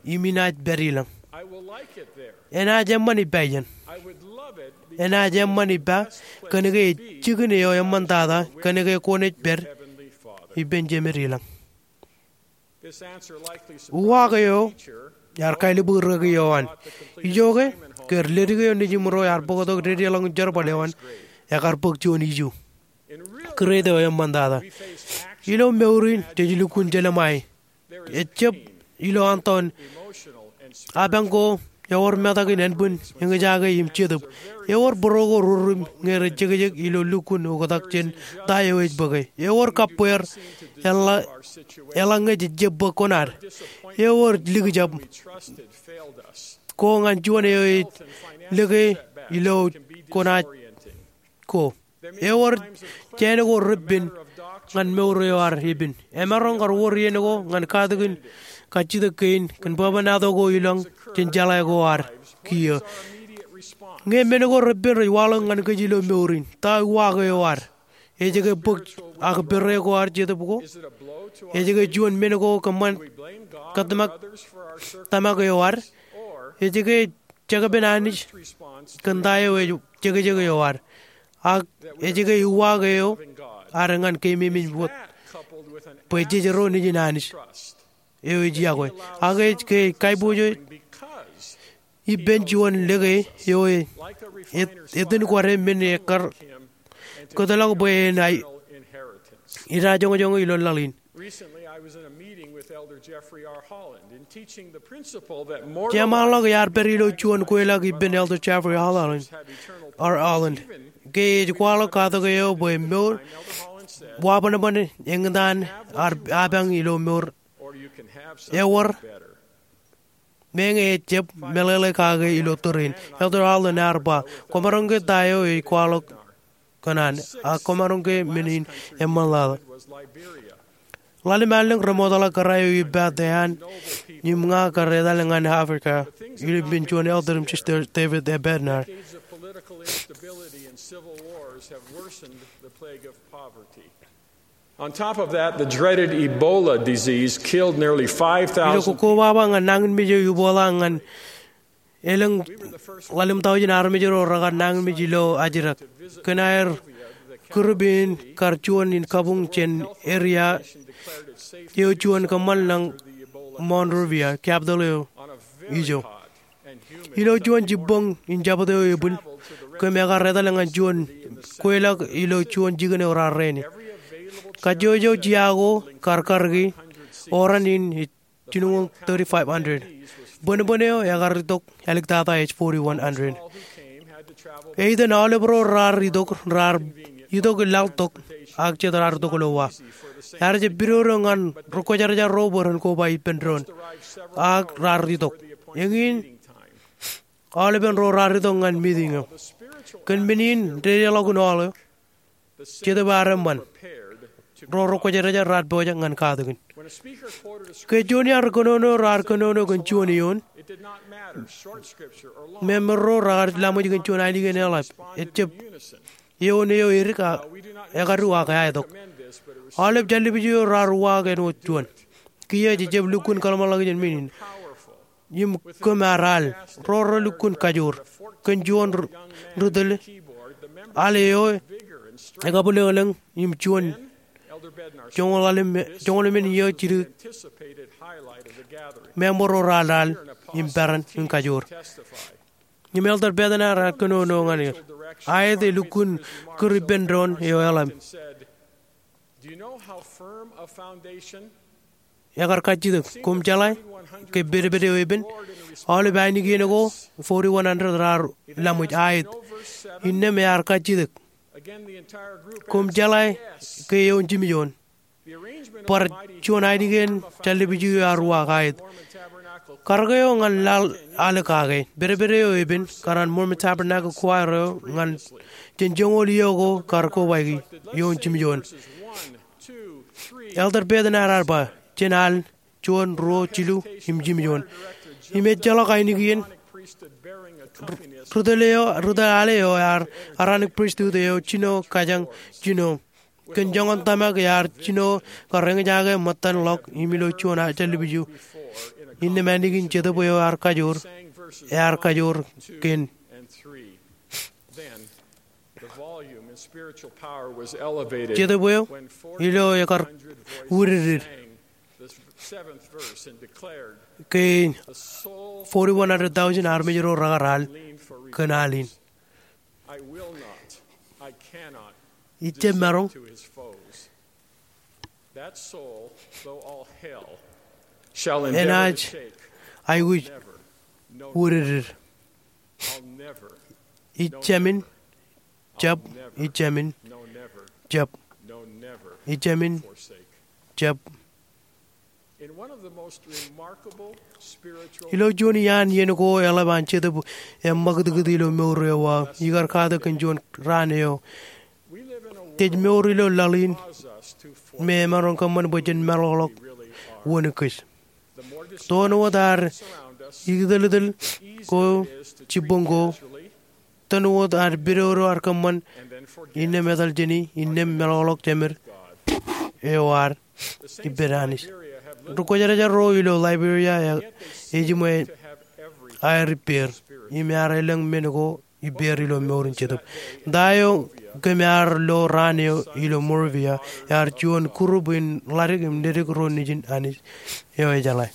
im inaaj pād ilañ. Enaaj eṃṃan ippa iien. Enaaj eṃṃan ippa kōnke ej jikin eo eṃṃantata kōnke kwōnaaj pād ippān Jemed ilañ. Uwaak eo ear kaelōñ bwe rūkaki eo an, ijoke ke ledik eo nejiṃro ear bōktok dedeḷọñin jerbal eo an, ekar bōk juon iju. Kūrete eo eṃṃantata. Ilo mour in jej lukkuun jelṃae. Ejab ilo antoon apañ ko ewōr metak in ānbwin eñjake im jetōb. Ewōr būruo ko rurūm ñe rej jekjek ilo lukkuun oktak jān ta eo ej bōke. Ewōr kabbweer eḷa-, eḷaññe jej jab bōk kuṇaad. Ewōr likjab ko ñan juon eo ej lōke ilo kuṇaad ko. Ewōr jāān ko repen ñan mour eo ad epen. Emaroñ kar wōr iien ko ñan katakin kajjitōk kein kōn bwebwenato ko ilañ jān jeḷā ko ad kiiō. Ñe men ko repen rej waḷọk ñan kōj ilo mour in, ta uwaak eo ad? Ej ke bōk ak pere ko ad jetōb ko? Ej ke juon men ko kōṃṃan kōtōmak tōmak eo ad? Ej ke jekpen Anij kōn ta eo ej jekjek eo ad? Ak ej ke uwaak eo ad ñan keememej wōt bwe jej ro nejin Anij eo ej yokwe? Ak ej ke kaiboojoj ippān juon lōke eo e, e, etan kwōj men ekkar kōtḷọk bwe en aikuj ilo laḷ in? Recently, I was in a meeting with Elder Jeffrey R. Holland in teaching the principle that moral Jeṃaanḷọk iar pād ilo juon kweilọk ippān Elder Jeffrey Holland, R. Holland, ke ej kwaḷọk katak eo bwe mour, wabōnbōn eñtaan apañ ilo mour ewōr meñe ejjab meḷeḷe kake ilo tōre in. Elder Holland ear ba, kwōmaroñ ke ta eo ej kwaḷọk kōṇaan, ak kwōmaroñ ke men in eṃṃanḷọk. Ḷalem allōñ remootḷọk kōrā eo ippān ean im ña kar etal ñan Africa ilo ippān juon Elder im Sister David A. Bednar. Decades of political instability and civil wars have worsened the plague of poverty. On top of that, the dreaded Ebola disease killed nearly five thousand. Ilo kokkobaba ñan nañinmej eo Ebola ñan elōñ ḷalem taujin armej ro rekar nañinmej ilo ajrak. Kōn aer group in kar juon in kabuñ jān area eo juon kōṃṃan ñan Monrovia, capital eo ijo. Ilo juon jibboñ in jabōt eo ebwil, kōm ekar etal ñan juon kweilọk ilo juon jikin eo raar reni. Kajjojo jea ko kar kariki oran in jinoñoul thirty-five hundred. Bōnbōn eo ekar itok āliktata ej forty-one hundred. Eitan aolep ro raar itok, raar itok laḷ tok, ak jet raar itok ilo wa. Ear jab pidodo ñan rekwōjarjar ro bwe ren koba ippān doon, ak raar itok. Eñin aolepen ro raar itok ñan meeting eo. Kōn men in dedeḷọkin aolep, jetōb ear eṃṃan. Ro rekwōjarjar raar pojak ñan katakin. Ke juon iar kōnono raar kōnono kōn juon eoon, meṃṃan ro raar laṃōj kōn juon ainikien eḷap. Ejjab eoon eo edik, ekadu ak eaetok. Aolep jāllibij eo raar uwaak āinwōt juon. Kiiō ejjab lukkuun kōḷmānḷọkjeṇ men in. Im kōm ar al, ro relukkuun kajoor kōn juon ri-, ri-tōl al eo ekabwilōñlōñ im juon joñoul men eo jidik meṃṃan ro raar al im peran in kajoor. Im Elder Bednar ear kōnono ñan er. Aet e lukkuun kūr ippān doon eo eḷap. Ekar kajjitōk, koṃ jeḷā ke pedped eo epen, aolep ainikien ko forty-one hundred raar laṃōj aet. Innām ear kajjitōk, koṃ jeḷā ke eoon jimjuon. Bar juon ainikien jāllibij eo ear uwaak aet. Karōk eo ñan laḷ al kake, pedped eo epen, kar an Mormon Tabernacle Choir eo ñan jān joñoul iiō ko kar kobaiki eoon jimjuon. Elder Bednar ear ba, jān al juon, ruo, jilu, im jimjuon. Im ejjeḷọk ainikien ri-tōl eo, ri-tōl al eo ear Aaronic Priesthood eo jino kōjañ jino. Kōn joñan tōmak ear jino kar eñjake ṃōttan ḷọk im ilo juon jāllibij eo. Innām ālikin jetōb eo ear kajoor, ear kajoor kōn jetōb eo ilo ekar widikdik ke forty-one hundred thousand armej ro rekar al kōn al in. Ij jab maroñ. Enaaj aikuj widikdik. Ij jab in, jab, ij jab in, jab, ij jab in, jab. Ilo juon iaan iien ko eḷap an Jetōb eṃṃakūtkūt ilo mour eo aō, ikar katak kōn juon raan eo. Jej mour ilo laḷ in me emaroñ kōṃṃan bwe jen meḷọkḷọk wōn kōj. Toon wōt ad ikōtōltōl ko, jibboñ ko, Ḷōmṇak wōt ad pidodo ad kōṃṃan innām etal jāni, innām meḷọkḷọk jemed eo ad ippān Anij. Ri-kwōjarjar ro ilo Liberia ej jiṃwe aer ippāer im ear elōñ men ko ippāer ilo mour in jetōb. Ta eo kōm ear lo raan eo ilo Monrovia, ear juon group in ḷadik im ledik ro nejin Anij eo ejeḷā.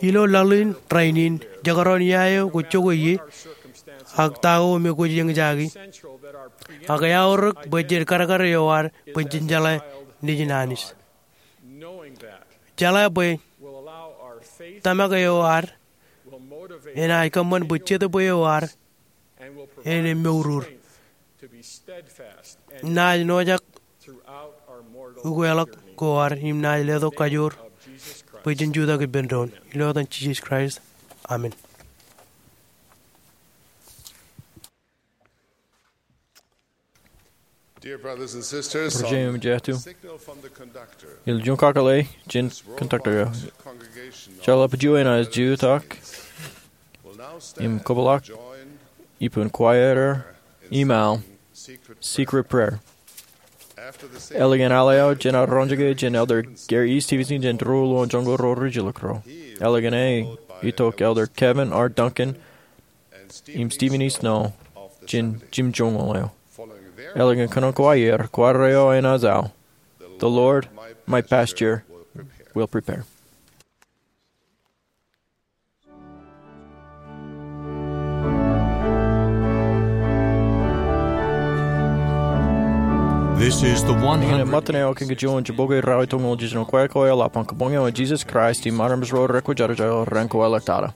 Ilo laḷ in rainin, jekdọọn ia eo kwōj jokwe ie, ak ta ko me kwōj eñjake, ak eaorōk bwe jen kadkad eo ad bwe jen jeḷā nejin Anij. Jeḷā bwe tōmak eo ad enaaj kōṃṃan bwe jetōb eo ad en emourur. Naaj nojak ukeḷọk ko ad im naaj letok kajoor bwe jen jutak ippān doon. Ilo etan Jisōs Kraist, amen. Dear brothers and sisters, Ri-jeṃ im jatū, signal from the conductor. Ilju in kakōḷḷe jān conductor eo. Jeḷā bwe juon enaaj jutak im kōpeḷḷọk ippān kwōjarjar im aḷ secret prayer. Ālikin aḷ eo, jen roñjake jān Elder Gary E. Stevenson jān ruo ḷọk joñan ko ro rijjilōk ro. Ālikin e, itok Elder Kevin R. Duncan im Stephen E. Snow jān jimjuonñoul eo. Ālikin kōnono kwōjarjar, kwaar eo enaaj aḷ, "The Lord, my pasture, will prepare." This is the one hundred. Iien ṃōttan eo, kōn kajjioñ jibboñ ralitōñoul jiljino, kwōj aikuj eḷap an kabuñ eo an Jisōs Kraist im armej ro rekwōjarjar ilo raan ko eḷḷọk tata.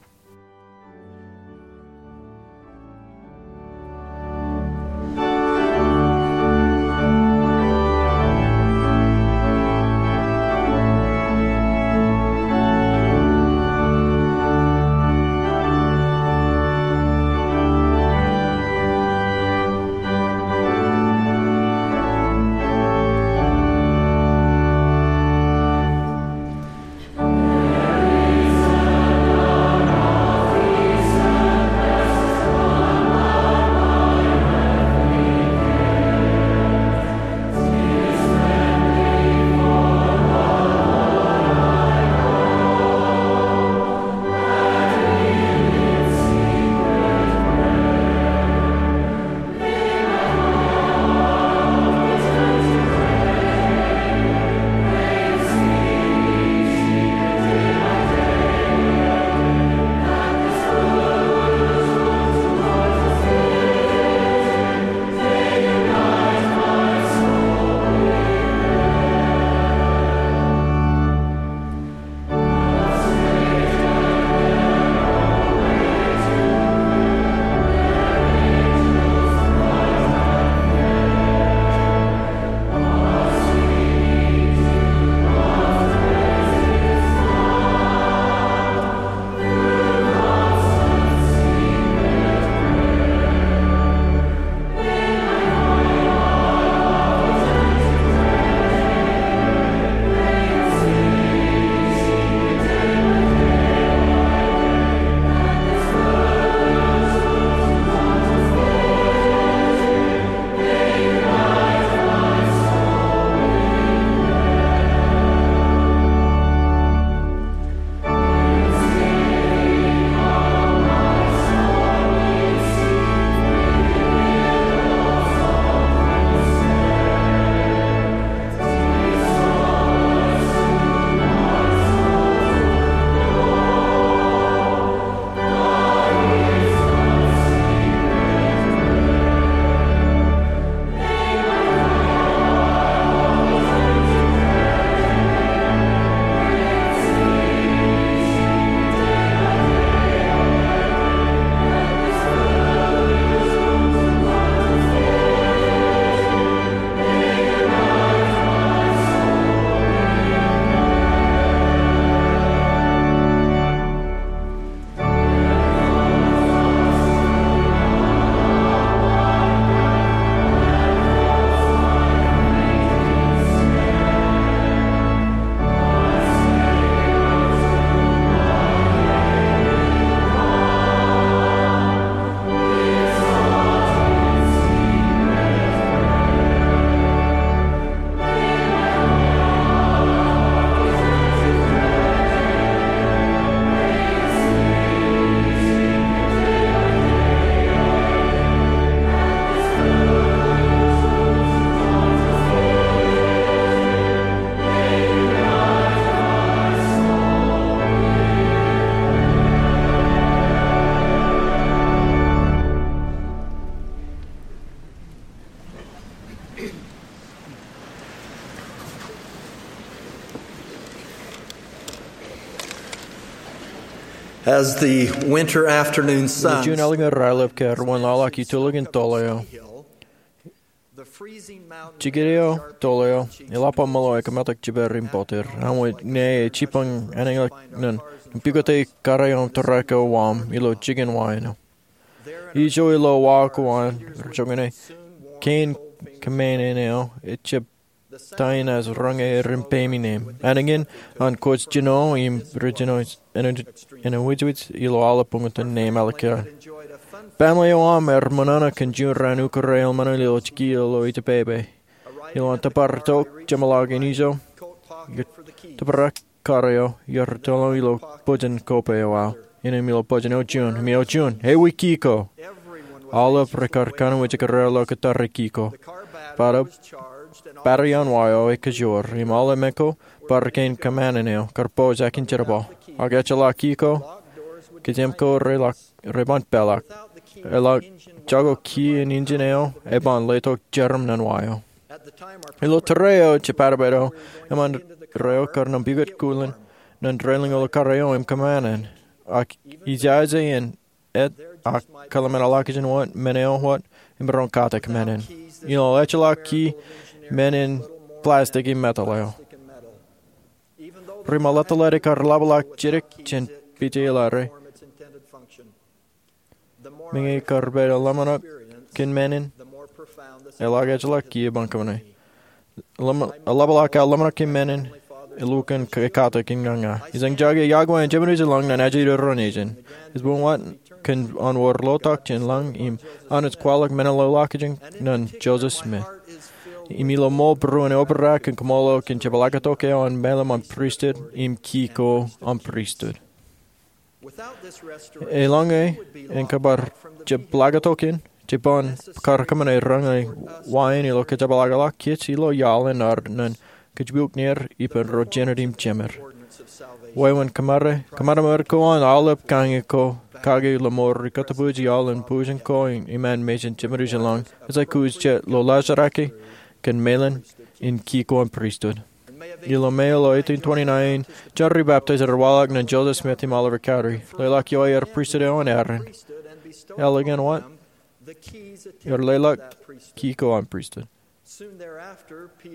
As the winter afternoon sun Juun ālikin raelep ke ewōr wōnḷaḷḷọk itulōk in tōl eo. Jikin eo tōl eo eḷap aō ṃōḷo ekametak jipeer im bōtōr. Aṃ wōt ṇe ej jipañ ānāñlọk ñan pukot e kōrā eo im tōre ko waṃ ilo jikin wa eo. Ijo ilo wa ko an, rej joñan e kein kōmāān eo ejjab ta in as roñe er im peim ineem. Ānōñin an kwōj jino im rej jino ānwōjwōj ilo aolep buñtōn neem ālikin. Baaṃle eo aṃ ear ṃōṇōṇō kōn juon raan ukōt eo eṃṃan ilo jiki ilo ejjepepe. Ilo an tōpar tok jeṃḷọk in ijo, tōprak kōrā eo, iar tōl ilo bōjin kope eo aō. Innem ilo bōjin eo juon, im eo juon, ewi ki ko. Aolep rekar kanooj kōrā ḷọk tōre ki ko. Bōtab, battery an wa eo ekajoor, im aolep men ko, bar kein kōmāān eo, kar pojak in jerbal. Ak ejjeḷọk ki ko, kōjeañ ko reban peḷọk. Eḷak jako ki in injin eo, eban letok jeram ñan wa eo. Ilo tōre eo jepādpād eo, eṃṃan reo kar nōṃ pukot kulen, ñan railing eo ilo kōrā eo im kōmāān. Ak ijaje in et ak kōḷmānḷọkjeṇ wōt, men eo wōt, im roñ katak men in. Ilo ejjeḷọk ki men in plastic im metal eo. Ri ṃōletteled ekar ḷapḷọk jidik jān pije ḷare. Meñe kar pād ḷōmṇak kōn men in, eḷak ejjeḷọk ki eban kōṃṃane. Ḷapḷọk aō ḷōmṇak kōn men in, elukkuun ekatak in ña ña. Ij jañin jake iọkwe an Jemān Ijlọñ ñan ajri doon nejin. Ej buñwōt kōn an wōr lotok jān lañ im an ej kwaḷọk men in ḷọkjeṇ ñan Joseph Smith. Im ilo ṃool būruon eobrak im kōṃṃool eo kōn jepḷaaktok eo an mālim an pristut im ki ko an pristut. Eḷaññe en kōbar jepḷaaktok in, jeban kar kōṃṃane roñe wa in ilo kōjepḷaakḷọk kōj ilo iaḷ eṇ ar ñan kōjepuknir ippān ro jenet im jemed. Wāween kōṃṃan, kōṃṃan ko an aolep kaññe ko kake ḷōṃaro ri kōttōpoj iaḷ in bujen ko iṃaan mejān Jemān Ijlọñ, ej aikuj jet ḷōḷḷā jerake kōn mālim in ki ko an pristut. Ilo May ilo eighteen twenty-nine, John Rebaptist ear waḷọk ñan Joseph Smith im Oliver Cowdery. Leḷọk ioer pristut eo an Aaron. Ālikin wōt, ear leḷọk ki ko an pristut.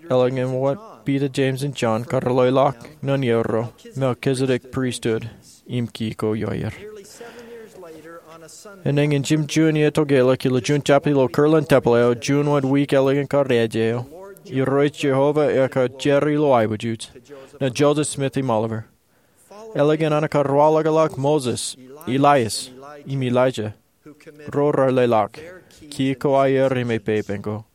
Ālikin wōt, Peter, James, im John kar leḷọk ñan ippān Melchizedek pristut im ki ko ioer. Enañin jimjuon iiō tokālik ilo juon jabta ilo Kirtland Tempel eo, juon wōt wiik ālikin kar ej eo, Irooj Jeova ekar jar ilo aiboojoj ñan Joseph Smith im Oliver. Ālikin an kar waḷọkḷọk Moses, Elias, im Elijah, ro rar leḷọk ki ko aer im ej pepenko.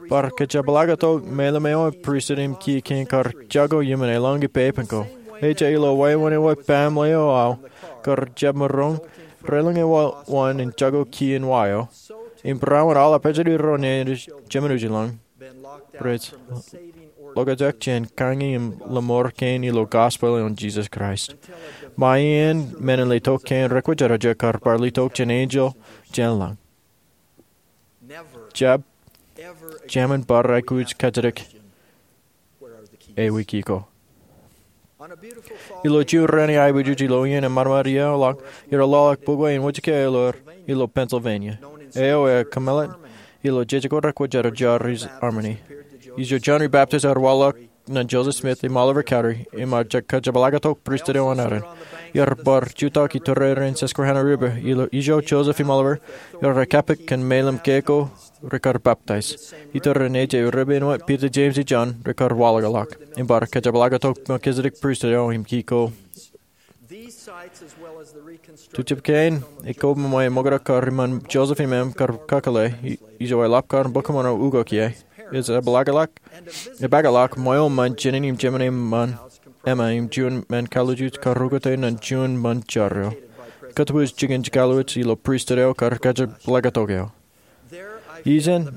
Bar kōjepḷaaktok mālim eo an pristut im ki kein kar jako iuṃwin eḷaññe pepenko. Ej ilo wāween eo baaṃle eo aō kar jab maroñ, railing eo wōn in jako ki in wa eo im barāinwōt aolep ajri doon nejin Jemān Ijlọñ rej ḷokjak jān kaññe im ḷōṃaro kein ilo gospel eo an Jesus Christ. Ṃae iien men in letok kein rekwōjarjar kar bar letok jān enjeḷ jān lañ. Jab, jemān bar aikuj kajjitōk ewi ki ko. Ilo juon raan aiboojoj ilo iien eṃṃanṃan iiō ḷọk, iar ḷọk bukwe in wōjke ḷọk ilo Pennsylvania. Eo eo kōmeḷeḷe ilo jejako rekwōjarjar ilo Albany. Ijo John Rebaptist ear waḷọk ñan Joseph Smith im Oliver Cowdery, im ear kōjepḷaaktok pristut eo an Aaron. Iar bar jutak iturūrin Susquehanna River, ilo ijo Joseph im Oliver, iar kōppaak kōn mālim ke ko rekar baptize. Iturūrin ej river in wōt Peter, James, im John rekar waḷọkḷọk. Im bar kōjepḷaaktok Melchizedek pristut eo im ki ko. Ijjab kein, ekwe ṃōṃe ṃōkaj kar iṃaan Joseph im Mary kar kakōḷḷe, ijo eḷap kar bōk kōṃṃane ukok ie. Ej epaakḷọk, epaakḷọk ṃweo ṃōn jānin im jemān eṃṃan, eṃṃan im juon ṃōn kallijooj kar ukōte ñan juon ṃōn jar eo. Kōttōpoj jikin kallijooj ilo pristut eo kar kōjepḷaaktok eo. Ijeṇ,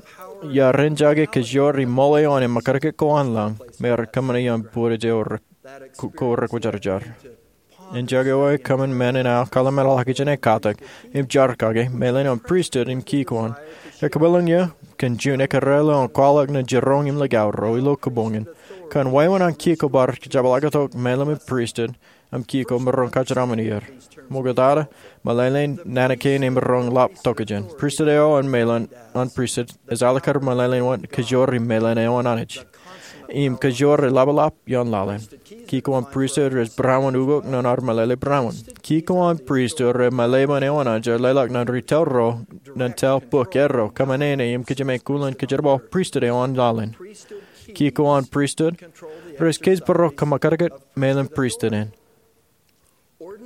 iar eñjake kōjro ri ṃool eo an eṃōkaj ko an lañ, im ear kōṃṃane iaan bwidej eo ko rekwōjarjar. Eñjake eo ekōṃṃan men in aō kōḷmānḷọkjeṇ ekatak, im jar kake, mālim an pristut im ki ko an. Ekōmeḷeḷe iiō, kōn juon ekōrā eo an kwaḷọk ñan jiroñ im likao ro ilo kōboñ in. Kōn wāween an kiiō ko bar kōjepḷaaktok mālim in pristut, im kiiō ko maroñ kōjeraṃṃan er. Ṃokta, meḷeḷein naan kein emaroñ lap tokjān. Pristut eo an mālim in pristut ej alikkar meḷeḷein wōt kajoor im mālim eo an Anij. Im kajoor ej lap ḷap ioon laḷ in. Kiiō ko an pristut rej barāinwōt ukok nōn ad meḷeḷe barāinwōt. Kiiō ko an pristut rej mālim eo an Anij ej leḷọk naan ri tōl ro, naan tōl bōk erro, kōṃṃane im kōjām kulen kōjerbal pristut eo an laḷ in. Kiiō ko an pristut rej kōjparok kōṃṃakūtkūt mālim pristut in.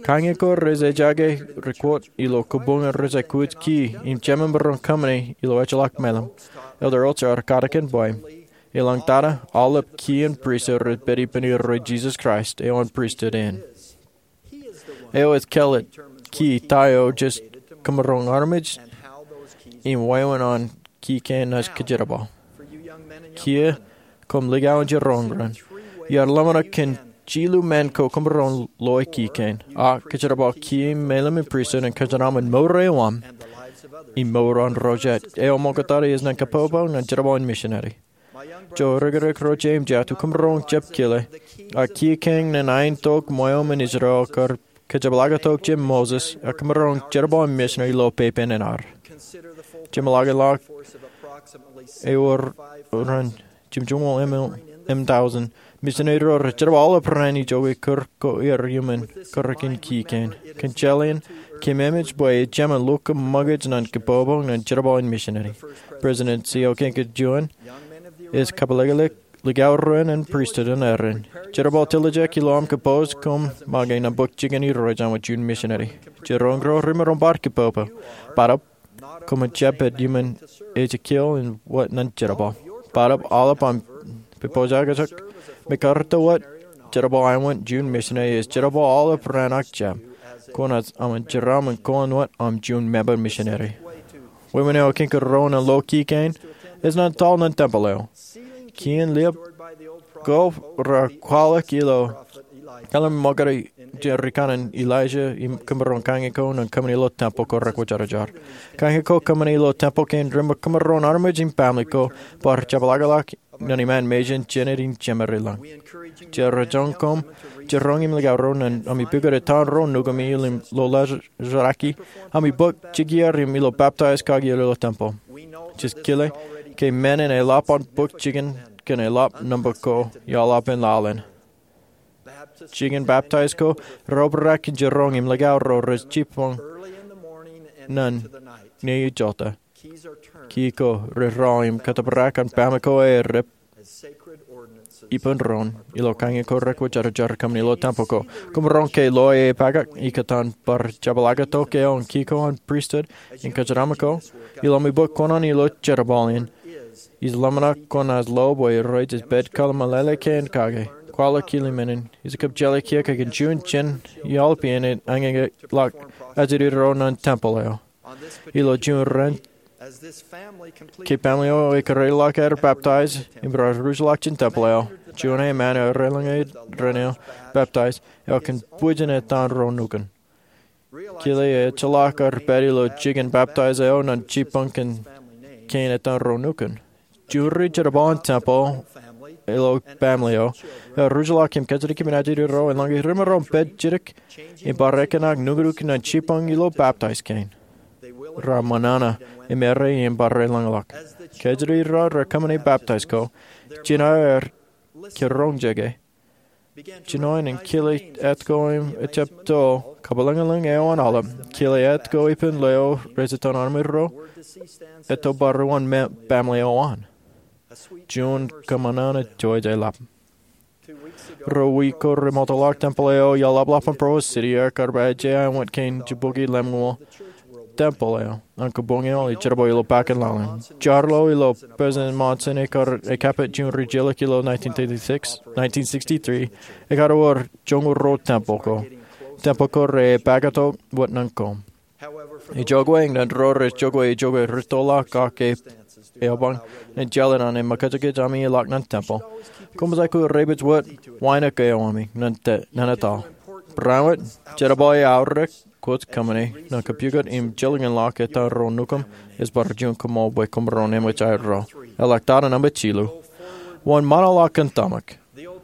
Kañin ko rej ejaake ri-kōt ilo kōbuñ rej aikuj kiiō im jemān maroñ kōṃṃane ilo ejjeḷọk mālim. Elder Holzer ear katakin bwe, eḷaññe aolep kiiō in pristut rej pād ippān Irooj Jisōs Kraist eo an pristut in. Eo ej kāālōt kiiō ta eo jej kōmaroñ armej im wāween an kiiō kein naaj kōjerbal. Kiiō, koṃ likao in jiroñ ren. Iar ḷōmṇak kōn jilu men ko koṃ maroñ loe kiiō kein. A kōjerbal kiiō mālim in pristut en kōjeraṃṃan mour eo aṃ im mour an ro jet. Eo ṃoktata ej naan kapopo naan jerbal in misineri. Ijin ri-kōrā ro jeiū im jatū, koṃ maroñ jab kile, ak kiiō kein naan ainikien ṃweo im Israel kar kōjepḷaaktok jān Moses, ak koṃ maroñ jerbal in misineri ilo pepen in ad. Jeṃḷọkin ḷọk ewōr ren jimjuonñoul im thousand misineri ro rej jerbal aolep raan ijoko kūr ko aer iuṃwin kūrrein kiiō kein. Kōn jeḷā in, kōmemej bwe ej jemān lukkuun ṃōkaj naan kapopo naan jerbal in misineri. President C. O. Kiiō Kein Juon ej kōpeḷḷọk likao ro in pristut in erin, jerbal tiljek ilo aṃ kōpooj koṃ make naan bōk jikin Irooj āinwōt juon misineri. Jiroñ ro remaroñ bar kapopo. Bōtab, koṃwin jab pād iuṃwin ejjeḷọk in wōt naan jerbal. Bōtab aolep aṃ pojak eo, mekarta wōt, jerbal āinwōt juon misineri ej jerbal aolep raan ak jab. Kwōnaaj aṃ jeraaṃṃan kōn wōt aṃ juon member misineri. Wāween eo eñin kōn ro in lo kiiō kein ej naan tōl naan tempel eo. Kiiō in liab ko raar kwaḷọk ilo kallim̧ur ṃōkaj jān ri kanaan Elijah im kōmaroñ kañin ko naan kōṃṃani ilo tempel ko rekwōjarjar. Kañin ko kōṃṃani ilo tempel kein rej ṃōk kōmaroñ armej im family ko bar jepḷaakḷọk naan iṃaan mejān Jened im Jemedleḷọk. Jerajoñ koṃ jiroñ im likao ro naan ami pukot etan ro nukūmi im lo laḷ rōjañin ami bōk jikier im ilo baptize kaki ilo tempel. Jej kile ke men in eḷap an bōk jikin kōn eḷap nōṃba ko iaḷap in laḷ in. Jikin baptize ko reobrak in jiroñ im likao ro rej jibboñ naan ñe ijota. Kiiō ko rej raan im kōttōprak an family ko aer rej ippān doon ilo kañin ko rekwōjarjar kōṃṃani ilo tempel ko. Koṃ maroñ ke loe epakak ikōtaan bar jepḷaaktok eo an kiiō ko an pristut in kōjeraṃṃan ko. Ilo ami bōk kōṇaan ilo jerbal in, ij ḷōmṇak kwōnaaj lo bwe Irooj ej pād kwō meḷeḷe kein kake. Kwaḷọk kile men in, ij kab jeḷā kiiō ke kōn juon jān iaḷ peiṃ in eñin ḷọk ajri ro naan tempel eo. Ilo juon raan, ke family eo ekōrā ḷọk aer baptize im raar ruj ḷọk jān tempel eo, juon emān eo ear eḷaññe raṇ eo baptize eo kōn bwijin etan ro nukun. Kile ejjeḷọk aer pād ilo jikin baptize eo naan jibboñ kein etan ro nukun. Juon ri jerbal in tempel eo ilo family eo, ear ruj ḷọk im kajjitōk ippān ajri ro eḷaññe remaroñ pād jidik im bar ekōṇak nuknuk naan jibboñ ilo baptize kein. Raar ṃōṇōṇō im errā im bar eḷañḷọk. Ke ajri ro raar kōṃṃane baptize ko, jino aer kiroñjeke. Jino in kile etko im ejjab to kabwilōñlōñ eo an aolep, kile etko ippān leo rej etan armej ro, etto bar uwaan family eo an. Juon kōṃōṇōṇō eo ej lap. Ruo wiik ko remootḷọk tempel eo iaḷapḷọk an Provo City, ekar ba ej āinwōt kein jibboñi lemñoul tempel eo an kōbuñoul im jerbal ilo bakin laḷ in. Jar lo ilo President Monson ekar ekapit juon rijjelōk ilo nineteen thirty-six, nineteen sixty-three, ekar wōr joñoul ruo tempel ko. Tempel ko re epakatok wōt naan koṃ. Ijoko eñin ro rej jokwe ijoko rūttoḷọk kake eopañ in jeḷā naan in ṃōkajkōj ami ḷọk naan tempel, koṃij aikuj rej pād wōt wānōk eo ami naan etaḷ. Barāinwōt, jerbal eo aorōk kwōj kōṃṃane naan kapukot im jilkinḷọk etan ro nukūṃ ej bar juon koṃṃool bwe koṃ maroñ eṃōj aerro. Eḷak tata nōṃba jilu. Wōn ṃaanḷọk kōn tōmak?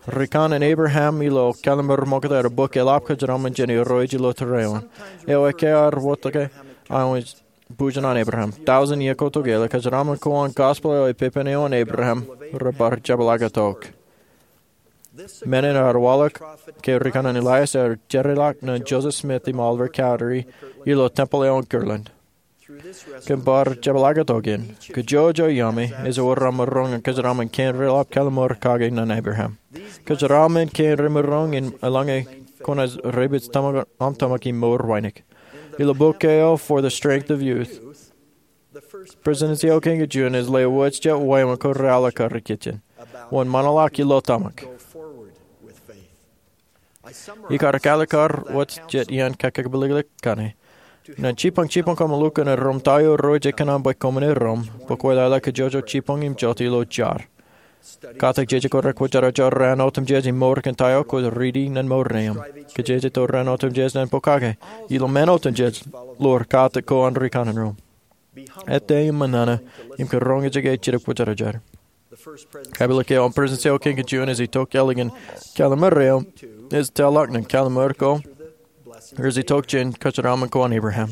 Rikanaan Abraham ilo Kallim̧ur Ṃokta ed bōk eḷap kōjeraaṃṃan jān Irooj ilo tōre eo an. Eo ekkā ear wōtke aō bujen an Abraham. Tọujin iiō ko tokālik, kōjeraaṃṃan ko an gospel eo epepen eo an Abraham rebar jepḷaaktok. Men in ear waḷọk ke rikanaan Elias ear jeorḷọk ñan Joseph Smith im Oliver Cowdery ilo tempel eo an Kirtland. Kōn bar jepḷaaktok in, kōjojoi iaami ej wōr aṃ maroñ in kōjeraaṃṃan kein reḷap kalliṃur kake ñan Abraham. Kōjeraaṃṃan kein remaroñ in eḷaññe kwōnaaj rej pād tōmak, aṃ tōmak im mour wānōk. Ilo bok eo For the Strength of Youth, President Seoke Jun ej lewōj jet wāween ko reaḷọk kar ikijjien. Wōnṃaanḷọk ilo tōmak. Ikar kālọk kar wōj jet iaan kōkāālōt kaṇe. Ñan jibboñ jibboñ koṃ lukkuun erom ta eo Irooj ej kōṇaan bwe koṃwin erom, bwe kwōjeḷā kōjọjọọ jibboñ im jota ilo jar. Katak jeje ko rekwōjarjar raan otemjej im mour kōn ta eo kwōj riiti ñan mour neeṃ. Kōjeje to raan otemjej ñan pokake. Ilo men otemjej, ḷoor katak ko an rikanaan ro. Ettā im ṃōṇōṇō im kōn roñjake jidik kwōjarjar. Kapeḷḷọk eo an President Seoke Jun ej itok ālikin kalliṃur eo ej tōlḷọk ñan kalliṃur ko rej itok jān kōjeraaṃṃan ko an Abraham.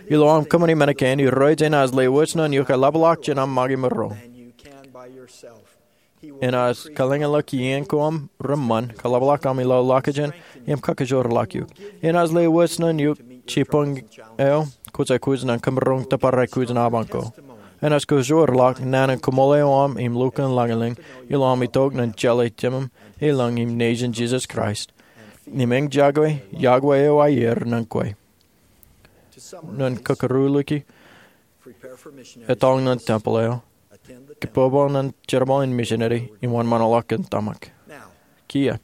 Ilo aṃ kōṃṃani men kein, Irooj enaaj lewōj ñan eok eḷapḷọk jān aṃ make maroñ. Enaaj kōḷañḷọk iien ko aṃ reṃṃan, kōḷapḷọk aṃ ilo ḷọkjeṇ, im kakajoorḷọk eok. Enaaj lewōj ñan eok jibboñ eo kwōj aikuj ñan kōmaroñ tōpar aikuj in apañ ko. Enaaj kajoorḷọk naan in koṃṃool eo aṃ im lukkuun lañlōñ ilo aṃ itok ñan jeḷā Jemem ilañ im Nejin Jisōs Kraist. Im eñjake yokwe eo aier ñan kwe. Ñan kōkūruliki, etal ñan tempel eo, kōpopo ñan jerbal in misineri, im wōnṃaanḷọk kōn tōmak. Kiiō.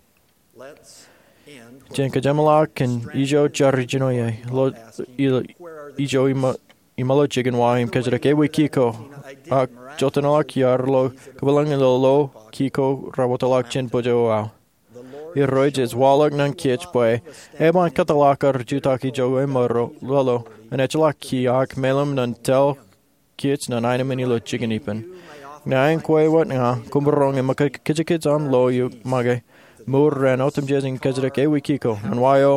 Jen kōjeṃḷọk kōn ijo jar ijin eo ie, ilo, ilo, ijo iṃō, iṃō ilo jikin wa im kōjjitōk ewi ki ko, ak joteṇḷọk iar lo kōpeḷḷọk ilo lo ki ko rej wōtlọk jān bōjjāwōt aō. Irooj ej waḷọk ñan kōj bwe eban kōtḷọk kar jutak ijoke ṃōro, lolo, im ejjeḷọk ki ak meḷeḷe ñan tel kōj ñan aenōṃṃan ilo jikin ippān. Ña in kwe wōt ña, koṃ maroñ im kōjkōjkōj aṃ lo eok make, mour raan otemjej im kōjjitōk ewi ki ko, ñan wa eo.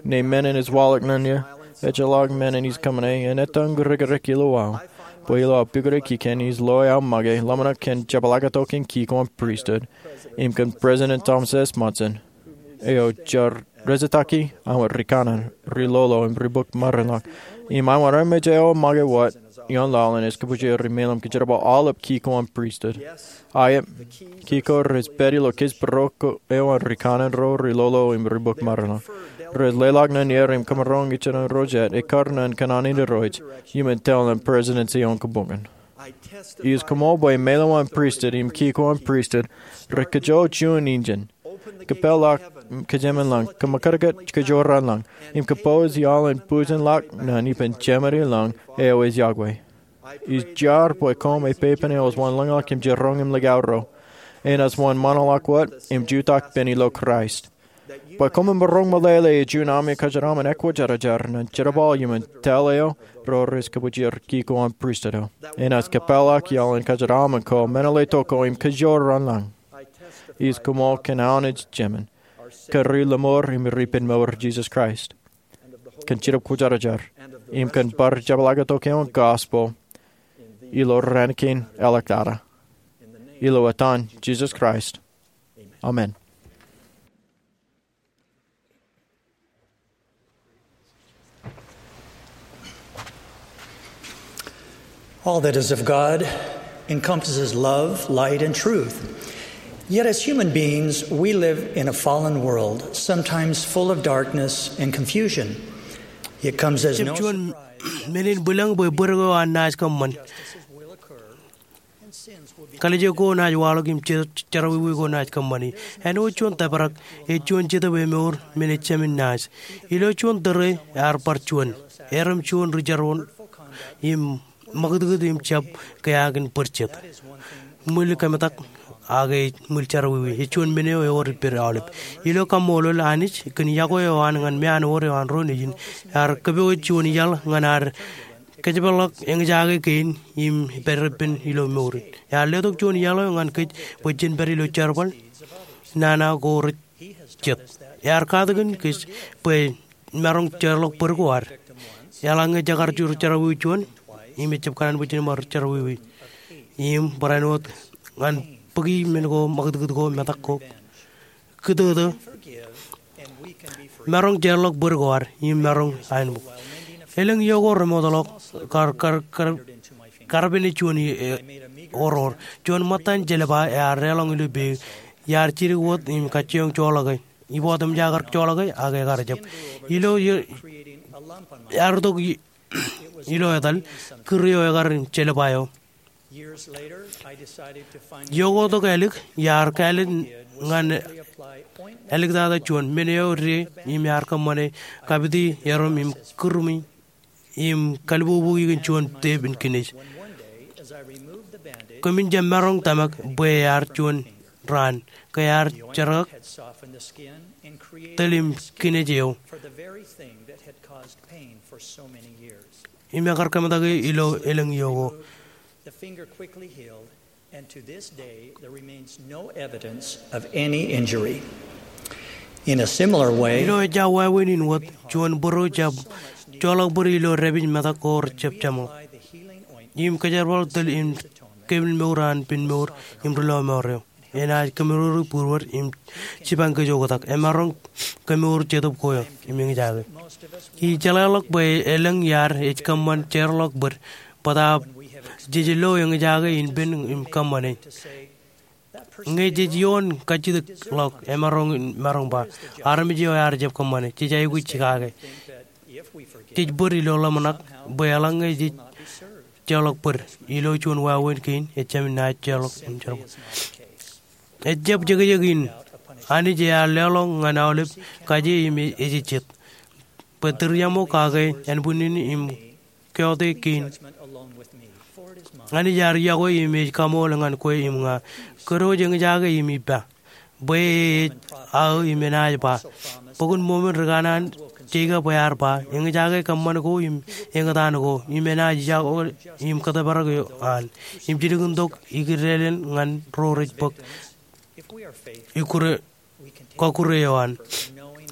Ñe men in ej waḷọk ñan eō, ejjeḷọk men in ij kōṃṃane, en etan rikirek ilo aō. Bwe ilo aō pukot kōn ij lo aō make, ḷōmṇak kōn jepḷaaktok in ki ko an pristut, im kōn President Thomas S. Monson, eo jar rejjitōk aō rikanaan, ri-lolo, im ri-bōk maroñḷọk. Im aō rej make wōt, ioon laḷ in ej kōpooje ri-meḷeḷe im kōjerbal aolep ki ko an pristut. Aet, ki ko rej pād ilo kōjparok eo an rikanaan ro, ri-lolo im ri-bōk maroñḷọk. Rej leḷọk ñan er im kōmaroñ ijeṇ ro jet, ekkar ñan kōṇaan in Irooj, iuṃwin tel ñan presidency eo an kōbōnbōn. Ij koṃṃool bwe meḷeḷe in pristut im ki ko an pristut, rej kōjjojo juon injin. Kōpeḷḷọk kōjemān lañ, kōṃōkadkōt kōjorrāān lañ, im kōpooj iaḷ in bujenḷọk ñan ippān Jemān ilañ eo ej yokwe. Ij jar bwe koṃ ej pepen eo ej wanlañḷọk im jiroñ im likao ro. Enaaj wōnṃaanḷọk wōt im jutak pen ilo Kraist. Bwe koṃwin maroñ meḷeḷe ej juon ami kōjeraaṃṃan ekwōjarjar ñan jerbal iuṃwin tel eo ro rej kōpooje ki ko an pristut eo. Enaaj kōpeḷḷọk iaḷ in kōjeraaṃṃan ko, meḷeḷe tok ko im kōjorrāān lañ. Ij koṃṃool kōn aō naaj jemān, kōn ri-lọmọọr im ri-ippān mour Jisōs Kraist, kōn Jidip Kwōjarjar, im kōn bar jepḷaaktok eo an gospel ilo raan kein āliktata. Ilo etan Jisōs Kraist, amen. All that is of God encompasses love, light, and truth. Yet as human beings, we live in a fallen world, sometimes full of darkness and confusion. It comes as no surprise. Ej juon men in bwilōñ bwe bōd ko an naaj kōṃṃan. Kalijek ko naaj waḷọk im jet jerọwiwi ko naaj kōṃṃani. Āinwōt juon tōprak, ej juon jetōb emour men ej jāmin naaj. Ilo juon tōre ear bar juon, erem juon ri-jerbal im ṃakūtkūt im jab keaak in bōd jet. Ṃwil kōmetak ak ej ṃwil jerọwiwi, ej juon men eo ewōr ippād aolep. Ilo kaṃṃoolol Anij kōn yokwe eo an ñan meanwōd eo an ro nejin, ear kōpooj juon iaḷ ñan ad kōjepḷọk eñjake kein im pād ippān ilo mour in. Ear letok juon iaḷ eo ñan kōj bwe jen pād ilo jerbal nana ko rej jet. Ear katakin kōj bwe maroñ jeorḷọk bōd ko ad. Eḷaññe jekar jerawiwi juon, im ejjab kōṇaan bwe jen bar jerawiwi. Im barāinwōt ñan bōki men ko, ṃakūtkūt ko, metak ko, kūtōtō. Maroñ jeorḷọk bōd ko ad im maroñ aenbōk. Elōñ iiō ko remootḷọk kar, kar, kar, karpene juon i, e, oror. Juon ṃōttan jelba ear deḷọñ ilo peiū. Iar jidik wōt im kajjioñ joḷọke. Ibotimjak kar joḷọke ak ekar jab. Ilo, i, ear itok i, ilo etal kūr eo ekar jelba eo. Iiō ko tok ālik, iar kāālōt ñan āliktata juon. Men eo rej im ear kōṃṃane kapiti erom im kūrmi im kalbubu kōn juon tep in kinej. Kōmin jab maroñ tōmak bwe ear juon raan ke ear jerkaktok tōl im kinej eo. Im ekar kōmetak ilo elōñ iiō ko. The finger quickly healed, and to this day there remains no evidence of any injury. In a similar way, ilo ejja wāween in wōt, juon būruo jab joḷọk bōd ilo dāpij metak ko rejab jeṃḷọk. Im kōjerbal tōl im kepin mour an pen mour im ri lọmọọr eo. Enaaj kemour būruod im jipañ kōj oktak. Emaroñ kemour jetōb ko eo im eñjake. Ij jeḷāḷọk bwe elōñ iaad ej kōṃṃan jeorḷọk bōd bōtaab jej lo eñjake in pen im kōṃṃane. Ñe jej ioon kajjitōkḷọk, emaroñ, maroñ ba, armej eo ear jab kōṃṃane, jej aikuj kake. Jej bōd ilo ḷōmṇak bwe eḷaññe jej jeorḷọk bōd ilo juon wāween kein, ejjab naaj jeorḷọk im jerbal. Ejjab jekjek in Anij ear leḷọñ ñan aolep kaje im ejejjet bwe tūriaṃo kake ānbwinnin im keote kein. Anij ear iọkwe im ej kaṃool ñan kwe im ña. Kōdọ eñjake im ippa bwe e ej aō im enaaj ba. Bok in Mōmon ri kanaan Jekob ear ba, eñjake kōṃṃan ko im eñtaan ko, im enaaj iọkwe im kōttōpar eo an, im jilkintok ikidālen ñan ro rej bōk ikkure, kọkkure eo an.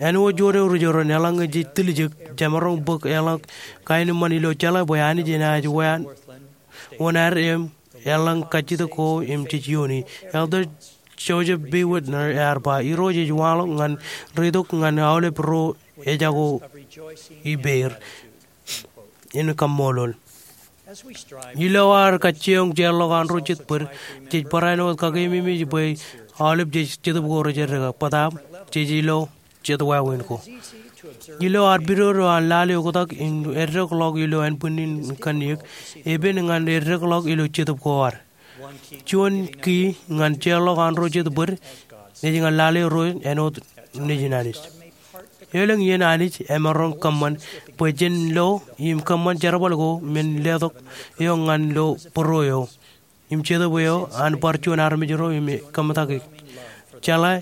Āinwōt juon eo ri joran, eḷaññe jej tiljek, jemaroñ bōk eḷọk kaenōṃṃan ilo jeḷā bwe Anij enaaj wōn ad im eḷaññe kajjitōk ko im jej iooni. Elder Joseph B. Witner ear ba, Irooj ej waḷọk ñan reitok ñan aolep ro ejako ippāer in kaṃṃoolol. Ilo ad kajjioñ jeorḷọk an ro jet bōd, jej barāinwōt kakeememej bwe aolep jej jetōb ko rej eddeka, bōtaab jej ilo jet wāween ko. Ilo ad pidodo an lale oktak im eddekḷọk ilo ānbwinnin kanniōk, epen ñan eddekḷọk ilo jetōb ko ad. Juon ki ñan jeorḷọk an ro jet bōd ej ñan lale ro āinwōt nejin Anij. Elōñ iien Anij emaroñ kōṃṃan bwe jen lo im kōṃṃan jerbal ko men letok eo ñan lo būruo eo im jetōb eo an bar juon armej ro im kōmetak jeḷā.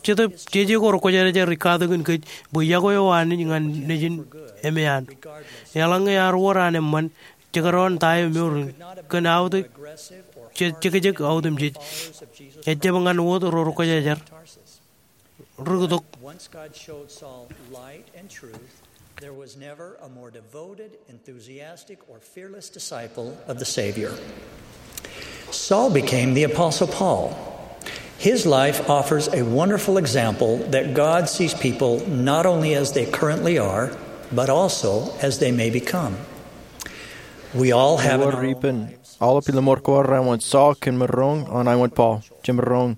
Jetōb jeje ko rekwōjarjar ej katakin kōj bwe iọkwe eo an Anij ñan nejin eṃṃan. Eḷaññe ear wōr an eṃṃan, jekdọọn ta eo mour in kōn aote, je-, jekjek otemjej, ejjab ñan wōt ro rekwōjarjar. Rūktok. Once God showed Saul light and truth, there was never a more devoted, enthusiastic, or fearless disciple of the Savior. Saul became the Apostle Paul. His life offers a wonderful example that God sees people not only as they currently are, but also as they may become. We all have in our own lives. Aolep ilo mour ko ad, āinwōt Saul, kōn maroñ an āinwōt Paul, jemaroñ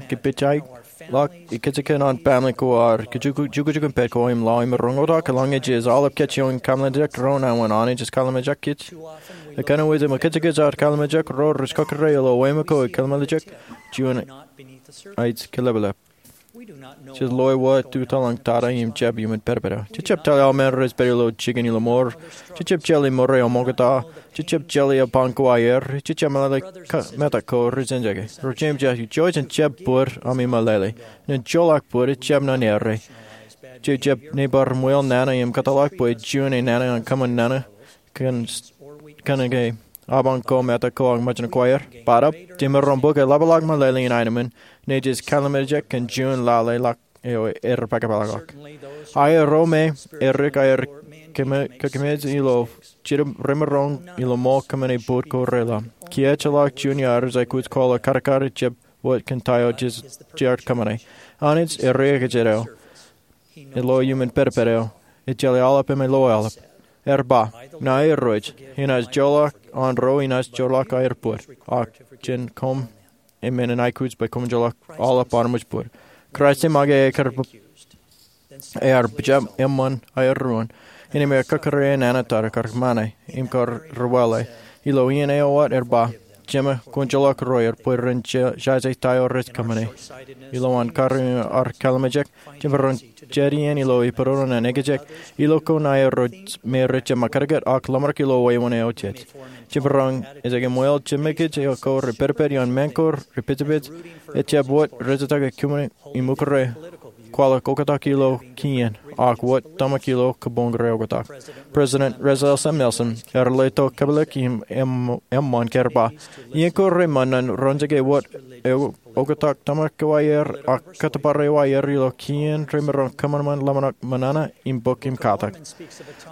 kōpoojaḷọk ikōjkan an family ko ad, kajukujukun pād ko im lawōj maroñ oktak. Eḷaññe jej aolep kajjioñ kōmeḷeḷeik doon aō an Anij ej kōmeḷeḷeik kōj, ekanooj im kōjkōj ad kōmeḷeḷeik ro rej kọkkure ilo wāween ko ej kōmeḷeḷeik juon ej kōḷapḷap. Jej lawōj wōt to tōl an tata im jab iuṃwin pād pād. Jej jab tōl aō men rej pād ilo jikin ilo mour. Jej jab jeḷā mour eo ṃokta. Jej jab jeḷā apañ ko aer. Jej jab meḷeḷe metak ko rej eñjake. Ro jeiū im jeiū, jouj im jab bōd ami meḷeḷe. Nen joḷọk bōd ejjab ṇa errā. Jej jab nōbar ṃweo nana im kōtḷọk bwe juon e nana an kōṃṃan nana kōn, kōn ke apañ ko, mata ko ak mejān ko aer. Bōtaab, jemaroñ bōk eḷapḷọk meḷeḷe in aenōṃṃan, naaj kallimjek kōn juon lale ḷọk eo ear pākpaakḷọk. Aer ro me erik aer kōm-, kōmij ilo jidim remaroñ ilo ṃool kōṃṃane bōd ko reḷap. Kiiō ejjeḷọk juon iar ej aikuj kōḷ eo kadkad ejjab wōt kōn ta eo jej, jeaer kōṃṃane. Anij ej riekjān eo. Ej lo iuṃwin pedped eo. Ej jeḷā aolep im ej lo aolep. Ear ba, ña Irooj, inaaj joḷọk an ro inaaj joḷọk aer bōd, ak jān koṃ eṃṃan in aikuj bwe koṃwin joḷọk aolep armej bōd. Kraist e make ear, ear pejjab eṃṃan aer ruōn. Innām ear kōkkure nana tōre, kar kōṃṃane im kar rewale. Ilo iien eo wōt ear ba, Jema, kwōn joḷọk ro aer bwe ren ja-, jaje ta eo rej kōṃṃane. Ilowaan karreoik in ar kallimjek, jemaroñ jet iien ilo ippān ro ñan ekjek, ilo ko ñan aer ro me rej jab ṃakūtkūt ak ḷōmṇak ilo wāween eo jej. Jemaroñ ejjab ṃweo jeṃakūt eo ko rej pedped ioon mān ko rej pejpej, ejjab wōt rejjātak kōṃṃane im ukōt ro kwaḷọk oktak ilo kien, ak wōt tōmak ilo kōboñ ro oktak. President Russell M. Nelson ear letok kōpeḷḷọk im, im, eṃṃan ke ear ba, iien ko reṃṃan ñan roñjake wōt eo oktak tōmak eo aer, ak kōttōpar eo aer ilo kien remaroñ kōṃanṃan ḷōmṇak ṃōṇōṇō im bōk im katak.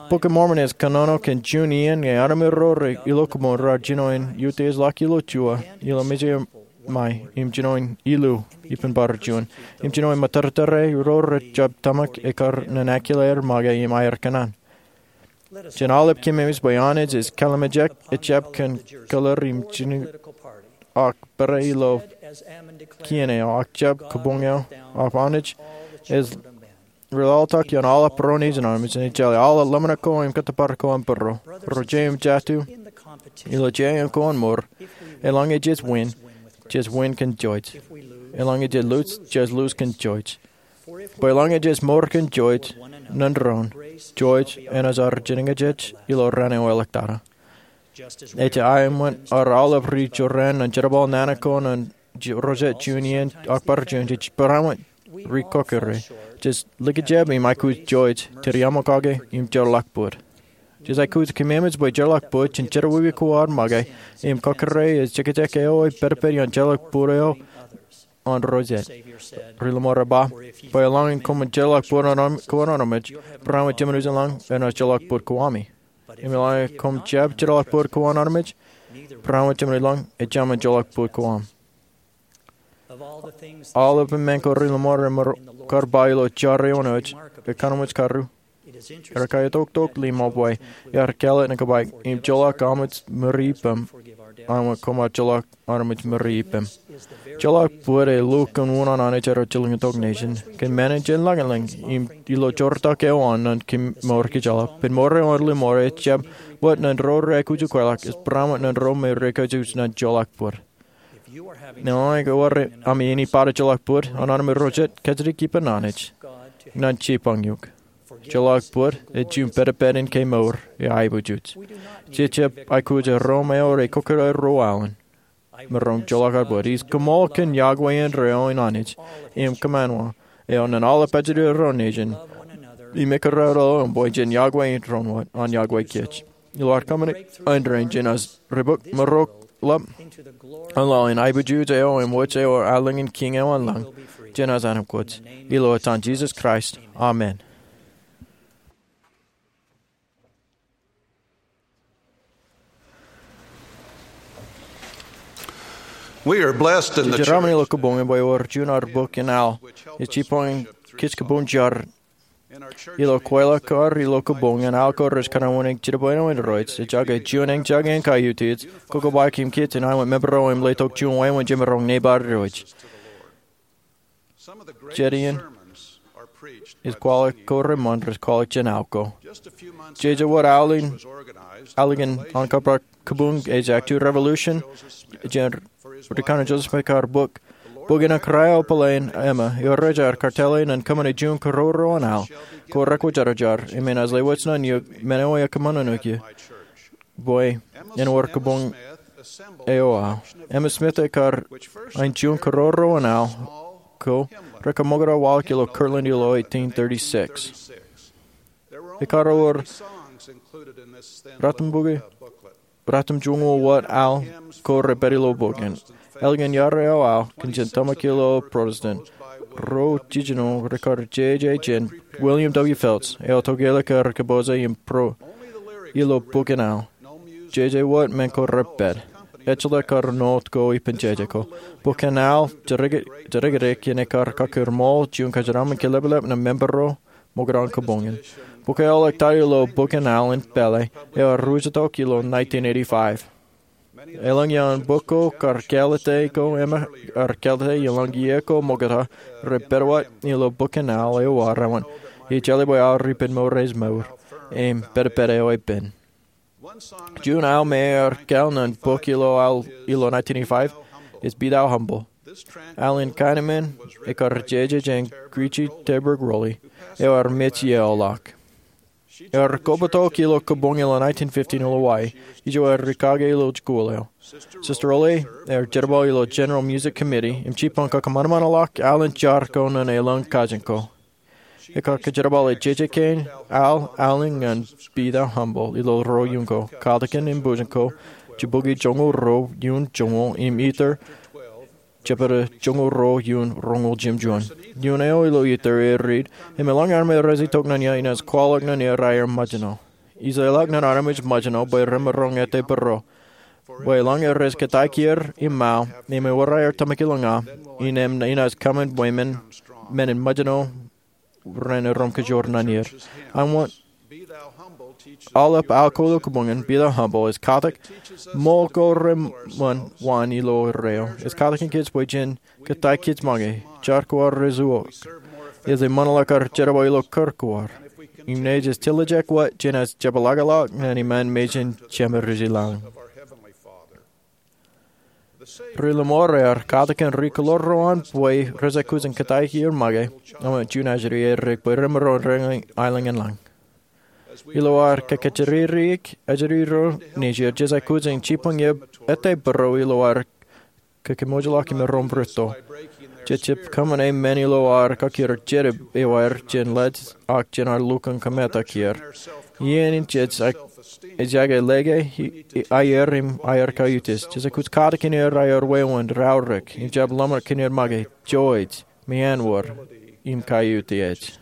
Bok in Mormon ej kōnono kōn juon iien ñe armej ro rej ilo kōboñ raar jino in utiej ḷọk ilo juon, ilo mejān ṃae, im jino in ilu ippān bar juon, im jino in ṃōttōrtōre ro rej jab tōmak ekkar ñan akila aer make im aer kōṇaan. Jen aolep kōmemej bwe Anij ej kallimjek, ejjab kōn kōḷḷāār im jino ak pere ilo kien eo, ak jab kōboñ eo, ak Anij ej reḷḷātak ioon aolep ro nejin armej, im ejjeḷọk aolep ḷōmṇak ko im kōttōpar ko aṃ būruo. Ro jej im jatū, ilo jeiū ko an mour, eḷaññe jej win, jej win kōn Joj. Eḷaññe jej lose, jej lose kōn Joj. Bwe eḷaññe jej mour kōn Joj ñan doon, Joj enaaj ar jinen kōj ilo raan eo eḷọktata. Ej aenōṃṃan aolep ri jorrāān ñan jerbal nana ko ñan ro jet juon iien ak bar juon, jej barāinwōt ri kōkkure. Jej likjab im aikuj Joj, tōre aṃ kake im jeorḷọk bōd. Jej aikuj kōmemej bwe jeorḷọk bōd jān jerọwiwi ko ad make, im kōkkure ej jekjek eo ej pedped ioon jeorḷọk bōd eo an ro jet. Ri Ḷōṃaro ej ba, bwe eḷaññe koṃwin jeorḷọk bōd ko an armej, barāinwōt Jemān Ujenlañ enaaj jeorḷọk bōd ko ami. Im eḷaññe koṃ jab jeorḷọk bōd ko an armej, barāinwōt Jemān Ujenlañ ejāmin jeorḷọk bōd ko aṃ. Aolep men ko Ri Ḷōṃaro ear kar ba ilo jar eo an Joj, ekanooj karu, ear kaitoktok ḷimo bwe ear kālet ñan kōbaik, im joḷọk armej ṃuri ippem, āinwōt koṃ joḷọk armej ṃuri ippem. Joḷọk bōd ej lukkuun unin Anij eo ej jilkintok nejin kōn men in jen lañlōñ im ilo jortok eo an ñan kōm mour kōjro. Ippān mour eo an Ri Ḷōṃaro ejjab wōt ñan ro rej aikuj ukweḷọk, ej barāinwōt ñan ro me rej kōjwōj ñan joḷọk bōd. Ñe ear wōr ami ej bar joḷọk bōd an armej ro jet, kajjitōk ippān Anij ñan jibboñ eok. Joḷọk bōd ej juon pedped in ke mour eo aikuj. Jej jab aikuj ro me rej kōkkure ro aolep maroñ joḷọk ad bōd. Ij koṃṃool kōn yokwe indeeo in Anij im kōṃṃan eo ñan aolep ajri ro nejin im ekkar ro im bwe jen yokwe in doon wōt an yokwe kōj. Ilo ad kōṃṃane indeeo, jen aikuj ri bōk mour ḷap an laḷ in aiboojoj eo im wōj eo aelōñ in Kiiñ eo an lañ, jen aikuj āinwōt kōj. Ilo etan Jisōs Kraist, amen. We are blessed in the Jej jeraaṃṃan ilo kōboñ in bwe ewōr juon ad bok in al ej jibboñ kōj kōboñ jar. Ilo kweilọk ko ad ilo kōboñ in, al ko rej kōṇaan wōnṃaanḷọk jidik bwe āinwōt ro rej jake juon eñjake in kaiutiej, kobaik im kiiō āinwōt member eo im letok juon wāween jemaroñ nōbar Irooj. Jet iien ej kwaḷọk ko reṃṃan rej kwaḷọk jān al ko. Jeje wōt al in, al in an kōprak kōboñ ej Act Two Revolution, jān Ri Kōnono Joseph Smith kar bōk, bōk in an kōrā eo bōlen Emma, eo rej aer kartale ñan kōṃṃane juon kōroro an al, ko rekwōjarjar, im enaaj lewōj ñan eok men eo ekōṃṃan ṇe eok ie, bwe en wōr kōboñ eo aō. Emma Smith ekar ain juon kōroro an al ko Rekar ṃokta waḷọk ilo Kirtland ilo eighteen thirty-six. Ekar wōr ratimjuonñoul wōt al ko repād ilo bok in. Ālikin iar eo al kōn jān tōmak ilo Protestant, ruo jiljino rekar jeje jān William W. Phelps, eo tokālik aer kōpooj im pro ilo bok in al. Jeje wōt men ko repād. Ejjeḷọk kar ṇoot ko ippān jeje ko. Bok in al jidikdik im ekar kaki ṃool juon kōjeraṃṃan kilepḷap ñan member ro ṃokta in kōboñ in. Bok eo ḷọk tata ilo bok in al in pālle eo ear ruj itok ilo nineteen eighty-five. Elōñ iaan bok ko kar kālōte ko im ear kālōte elōñ iiō ko ṃokta rej pād wōt ilo bok in al eo ear wōn. Ij jeḷā bwe aorōk ippān mour ej mour im pedped eo epen. Juon al me ear kāāl ñan bok ilo al ilo nineteen eighty-five ej Be Thou Humble. Al in kaenōṃṃan ekar jeje jān Grietje Terburg Rowley, eo ear mej iiō ḷọk. Ear kobatok ilo kōboñ ilo nineteen fifteen ilo Hawaii, ijo ear rūkaki ilo jikuuḷ eo. Sister Rowley ear jerbal ilo General Music Committee im jibboñ kōṃanṃanḷọk al in jar ko ñan elōñ kajin ko. Ekar kōjerbale jeje kein al al in ñan Be Thou Humble ilo ruo iiō ko, Katakin im Bujen ko, Jibukwi joñoul ruo iiō joñoul im Ether, Jebediah joñoul ruo iiō roñoul jimjuon. Iiō eo ilo Ether ej riit, im elōñ armej rej itok ñan iiō inaaj kwaḷọk ñan er aer ṃōjṇọ. Ij leḷọk ñan armej ṃōjṇọ bwe remaroñ ettā bōro, bwe elōñ rej kōttāik er im mao im ewōr aer tōmak ilōñ aṃ, innām inaaj kōṃṃan bwe men in ṃōjṇọ ren erom kōjwōr ñan er. Aṃ wōt aolep al ko ilo kōboñ in, Be Thou Humble ej katak ṃool ko reṃṃan wōn ilo erreo. Ej katakin kōj bwe jen kōttāik kōj make, jar ko ad rej zuwok. Ej eṃṃanḷọk ad jerbal ilo kūr ko ad. Im ṇe jej tiljek wōt jenaaj jepḷaakḷọk ñan iṃaan mejān Jemān ri-lañ. Ri-lọmọọr ear katakin ri-kōḷḷoor ro an bwe rej aikuj in kōttāik er make, aṃ wōt juon ajri erik bwe remaroñ reñin aelōñ in lañ. Ilo ad kōkōjatdikdik ajri ro nejier, jej aikuj in jibboñ ettā bōro ilo ad kōkōmwōjḷọk im erom rūtto. Jej jab kōṃṃane men ilo ad kakkir jet eo aer jān lej ak jān ad lukkuun kōmetak er. Iien in jej ejjake lōke, aier im aier kaiutis, jej aikuj katakin er aier wāween, raorōk, im jab ḷōmṇak kōn er make, joij, meanwōd, im kaiutiej.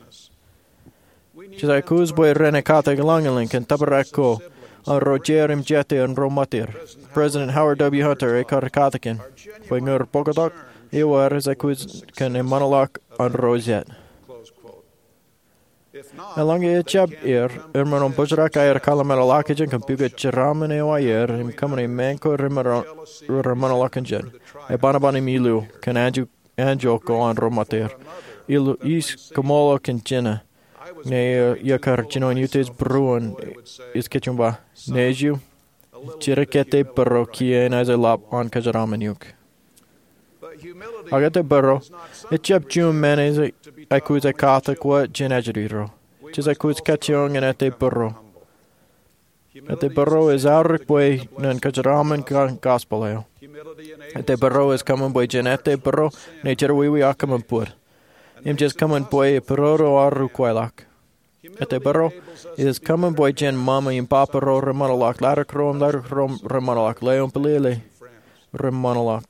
Jej aikuj bwe ren ekkatak lañlōñ kōn tōprak ko an ro jeid im jete an ro ṃōttir. President Howard W. Hunter ekar katakin bwe ñe rej poktak, ewōr ej aikuj kōn eṃṃanḷọk an ro jet. Eḷaññe ejjab er, remaroñ in bōjrak aer kōḷmānḷọkjeṇ kōn pukot jeraaṃṃan eo aier im kōṃṃane men ko reṃṃanḷọk kōn jet, eban ban im ilu kōn anjọ anjọ ko an ro ṃōttir. Ilo eis kōṃṃool eo kōn jino, ñe iiō kar jino in utiej būruon, ij kajjioñ ba, nejū, jidik ettā bōro kiiō enaaj lap an kōjeraaṃṃan eok. Ak ettā bōro ejjab juon men ej aikuj ekkatak wōt jān ajri ro. Jej aikuj kajjioñ in ettā bōro. Ettā bōro ej aorōk bwe ren kōjeraaṃṃan kōn gospel eo. Ettā bōro ej kōṃṃan bwe jen ettā bōro ṇe jerọwiwi ak kōṃṃan bōd. Im jej kōṃṃan bwe bōro ro ar ukweḷọk. Ettā bōro ej kōṃṃan bwe jen ṃōṃa im ba bōro reṃōṇōḷọk, ḷaddik ro im ḷaddik ro reṃōṇōḷọk, leo im bwilōñ reṃōṇōḷọk,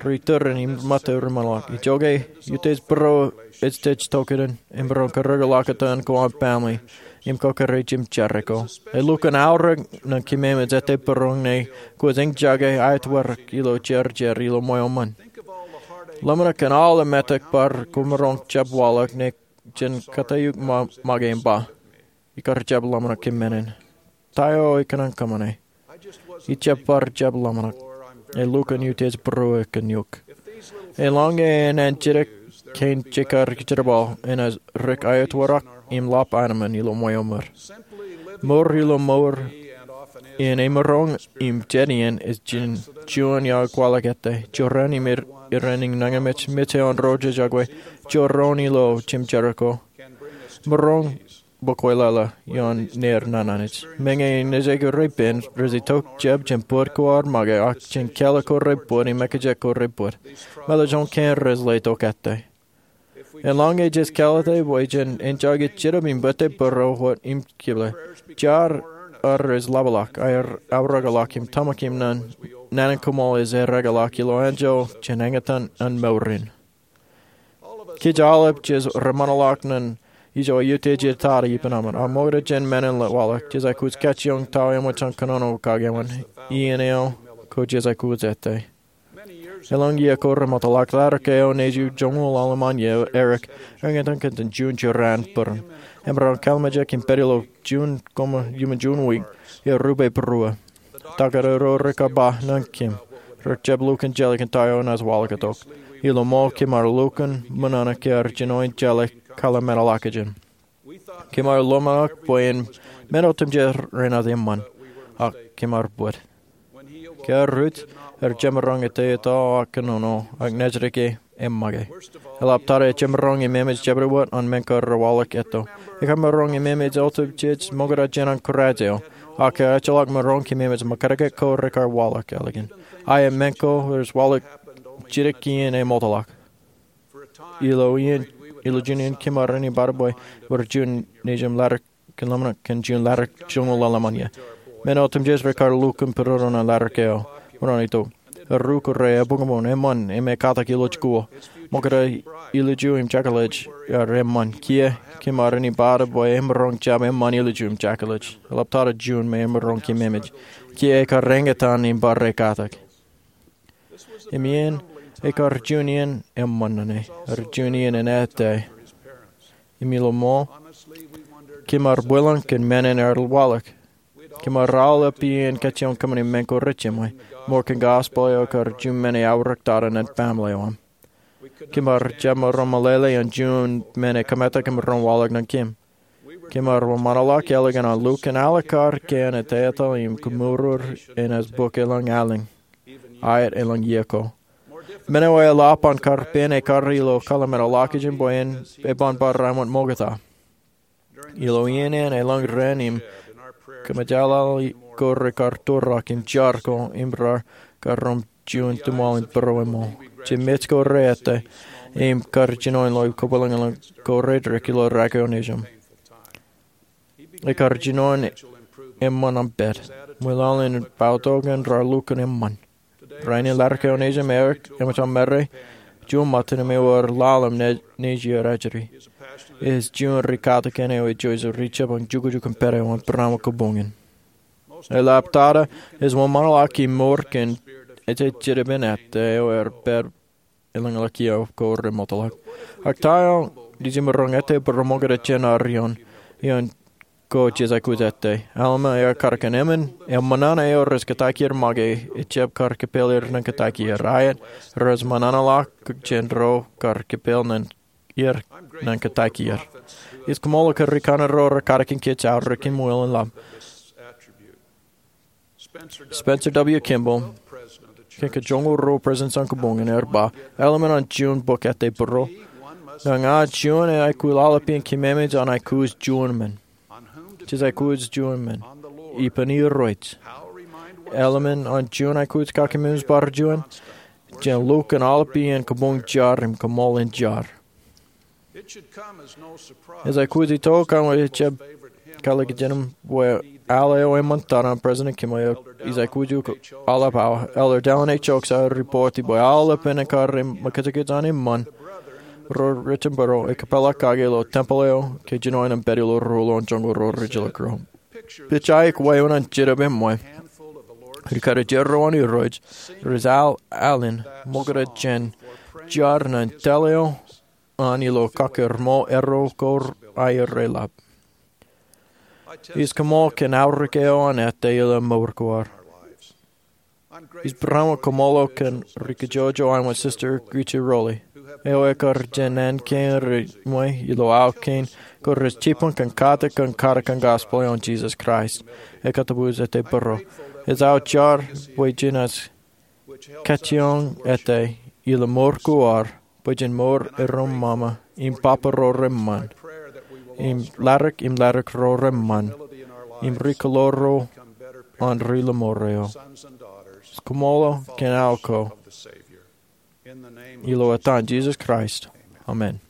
ri-tūrin im ṃōtto reṃōṇōḷọk. Ijoke, utiej bōro ej jej tokān im bōro kōrreoḷọk etan ko an family im kōkōrā jimjare ko. Elukkuun aorōk ñan kōmemej ettā bōro ñe kwōj eñjake aetwōrak ilo jeorjeor ilo ṃweo ṃōn. Ḷōmṇak kōn aolep metak bar kwōmaroñ jab waḷọk ṇe jen kōttāik eok make im ba, ikar jab ḷōmṇak kōn men in. Ta eo ikōṇaan kōṃṃane? Ij jab bar jab ḷōmṇak. Elukkuun utiej būruo kōn eok. Eḷaññe en jidik kein jekar jerbal, enaaj dik aetwōrak im lap aenōṃṃan ilo ṃweo ṃōd. Mour ilo mour in emaroñ im jet iien ej juon iar kwaḷọk ettā. Jorrāān im irein nañinmej, mej eo an ro jojak wōt, jorrāān ilo jimjare ko, maroñ bōk wōtlọtlọ ioon ner naan Anij. Meñe nejū ko repen rej itok jab jān bōd ko ad make ak jān kālōt ko rej bōd im ekajek ko rej bōd. Mālōtlōt kein rej letok ettā. Eḷaññe jej kāālōte bwe jen enjoy e jitōb im ettā būruō wōt im kile, jar rej ḷapḷọk, aorōkḷọk im tōmak im naan in koṃṃool ej eokḷọk ilo anjọ jen eñtaan an mour in. Kōj aolep jej reṃanḷọk ñan ijo eutiej tar ippān aṃ, ak ṃokta jān men in waḷọk, jej aikuj kajjioñ ta eo eṃōj an kōnono kake eṃṃan, iien eo ko jej aikuj ettā. Elōñ iiō ko remootḷọk, ḷadik eo nejū joñoul ḷalem an iiō, Eric, eñtaan kōn juon jerain bōran. Im emaroñ kallimjek im pād ilo juon koṃ iuṃwin juon wiik, eo rupe būruō. Taktō ro rekar ba ñan kōm, rej jab lukkuun jeḷā kōn ta eo enaaj waḷọk itok. Ilo ṃool kōm ar lukkuun ṃōṇōṇō ke ar jino in jeḷā kōḷmānḷọkjeṇ. Kōm ar ḷōmṇak bwe en men otemjej renaaj eṃṃan, ak kōm ar bōd. Ke ear ruj, er jemaroñ ettā etal ak kōnono, ak nejid ke eṃṃake. Eḷaptata ejemaroñ im emej jabdewōt an men ko rewaḷọk etto. Ekar maroñ im emej otemjej ṃokta jān an kōrā eo, ak ke ejjeḷọk maroñ im emej ṃōkajdik ko rekar waḷọk ālikin. Ak men ko rej waḷọk jidik iien eṃootḷọk. Ilo iien, ilo juon iien kōm ar āinwōt bwe ewōr juon nejūṃ ḷadik kōn ḷōmṇak kōn juon ḷadik joñoul ḷalem an iiō. Men otemjej rekar lukkuun būrodo ñan ḷadik eo. Ṃōṇōṇō itok. Erreo ko re, ebukbuk, eṃṃan, im ekkatak ilo jikuuḷ. Ṃokta ilju im jekḷaj ear eṃṃan. Kiiō, kōm ar āinwōt bwe emaroñ jab eṃṃan ilju im jekḷaj. Eḷaptata juon me emaroñ kōm emej. Kiiō ekar eñtaan im bar ekkatak. Im iien, ekar juon iien eṃṃan ñan e, ekar juon iien en ettā. Im ilo ṃool, kōm ar bwilōñ kōn men in ear waḷọk. Kōm ar aolep iien kajjioñ kōṃṃani men ko rejiṃwe, ṃour kōn gospel eo ekar juon men eaorōktata ñan family eo aṃ. Kōm ar jab maroñ meḷeḷe an juon men ekōmetak emaroñ waḷọk ñan kōm. Kōm ar wōnṃaanḷọk ālikin an lukkuun alikkar kien ettā etal im kōmour enaaj bōk elōñ alen, aet elōñ iiō ko. Men eo eḷap an kar pen ekkar ilo kōḷmānḷọkjeṇ bwe en eban bar ṃōkta. Ilo iien in elōñ ren im kōmejālali ko rekar tōrak im jar ko im raar karom juon tiṃool in būruō ṃool. Jemāj ko re ettā im kar jino in lo kōpeḷḷọk ko reddik ilo rak eo nejūṃ. Ekar jino in eṃṃan am pād. Ṃwilaḷ in bōktok in raar lukkuun eṃṃan. Rainin ḷadik eo nejūṃ, Eric eṃōj an mare juon ṃōttan im ewōr ḷalem nejier ajri. Ej juon ri katakin eo ej juon ri jab an jukjuk im pād eo an būrāṃ kabuñ in. Eḷaptata ej wōnṃaanḷọk im mour kōn ejjab jitōb in ettā eo ear pād elōñḷọk iiō ko remootḷọk. Ak ta eo nejūṃ maroñ ettā būruō ṃokta jān ad ioon, ioon ko jej aikuj ettā. Alma ear kar kōn emān, eṃṃan eo rej kōttāik er make, ejjab kar kōpeḷ er ñan kōttāik er. Aet, rej ṃōṇōṇōḷọk jān ro kar kōpeḷ ñan er ñan kōttāik er. Ij kaṃṃoolol kōn ri kanaan ro rekar katakin kōj aorōk im wōnṃaanḷọk. Spencer W. Kimball, kōn ke joñoul ruo president an kabuñ in, ear ba, eḷap an juon bok ettā būruō. Ña ña juon eo aikuj ḷapḷap in kōmemej an aikuj juon men. Jej aikuj juon men. Ippān Irooj. Eḷap an juon aikuj kakememej bar juon. Jān lukkuun aḷap iien kabuñ jar im kaṃṃool in jar. Ej aikuj itok an ejjab kalikkar jān im bwe al eo eṃṃantata an President Kimball eo ij aikuj aḷap awa. Elder Dallin H. Oaks ear report bwe aolep men ekar ṃōkajkij an eṃṃan ro rej jitōnbōro ekpeḷḷọk kake ilo tempeḷ eo ke jinoin an pād ilo ruo ḷọk joñoul ruo rijjilōk ro. Pija eo wāween an jitōb eṃṃan. Ri karijer ro an Irooj rej al alen ṃokta jān jar ñan taḷ eo an ilo kōkkure ṃool erro ko aer reḷap. Ij kaṃṃoolol kōn aorōk eo an ettā ilo mour ko ad. Ij būrāṃṃan kaṃṃoolol kōn ri kajjojo an Sister Grietje Rowley, eo ekar jān naan kein reṃṃan ilo aō kein ko rej jibboñ kōn katakin kōn katakin gospel eo an Jesus Christ. Ekkā tōprak ettā būruō. Ej aō jar bwe jenaaj kajjioñ ettā ilo mour ko ad bwe jen mour erom ṃōṃā im papa ro reṃṃan, im ḷadik im ḷadik ro reṃṃan, im ri kōḷaḷ ro an ri lọmọọr eo. Ij kaṃṃoolol kōn aō ko. Ilo etan Jesus Christ, amen.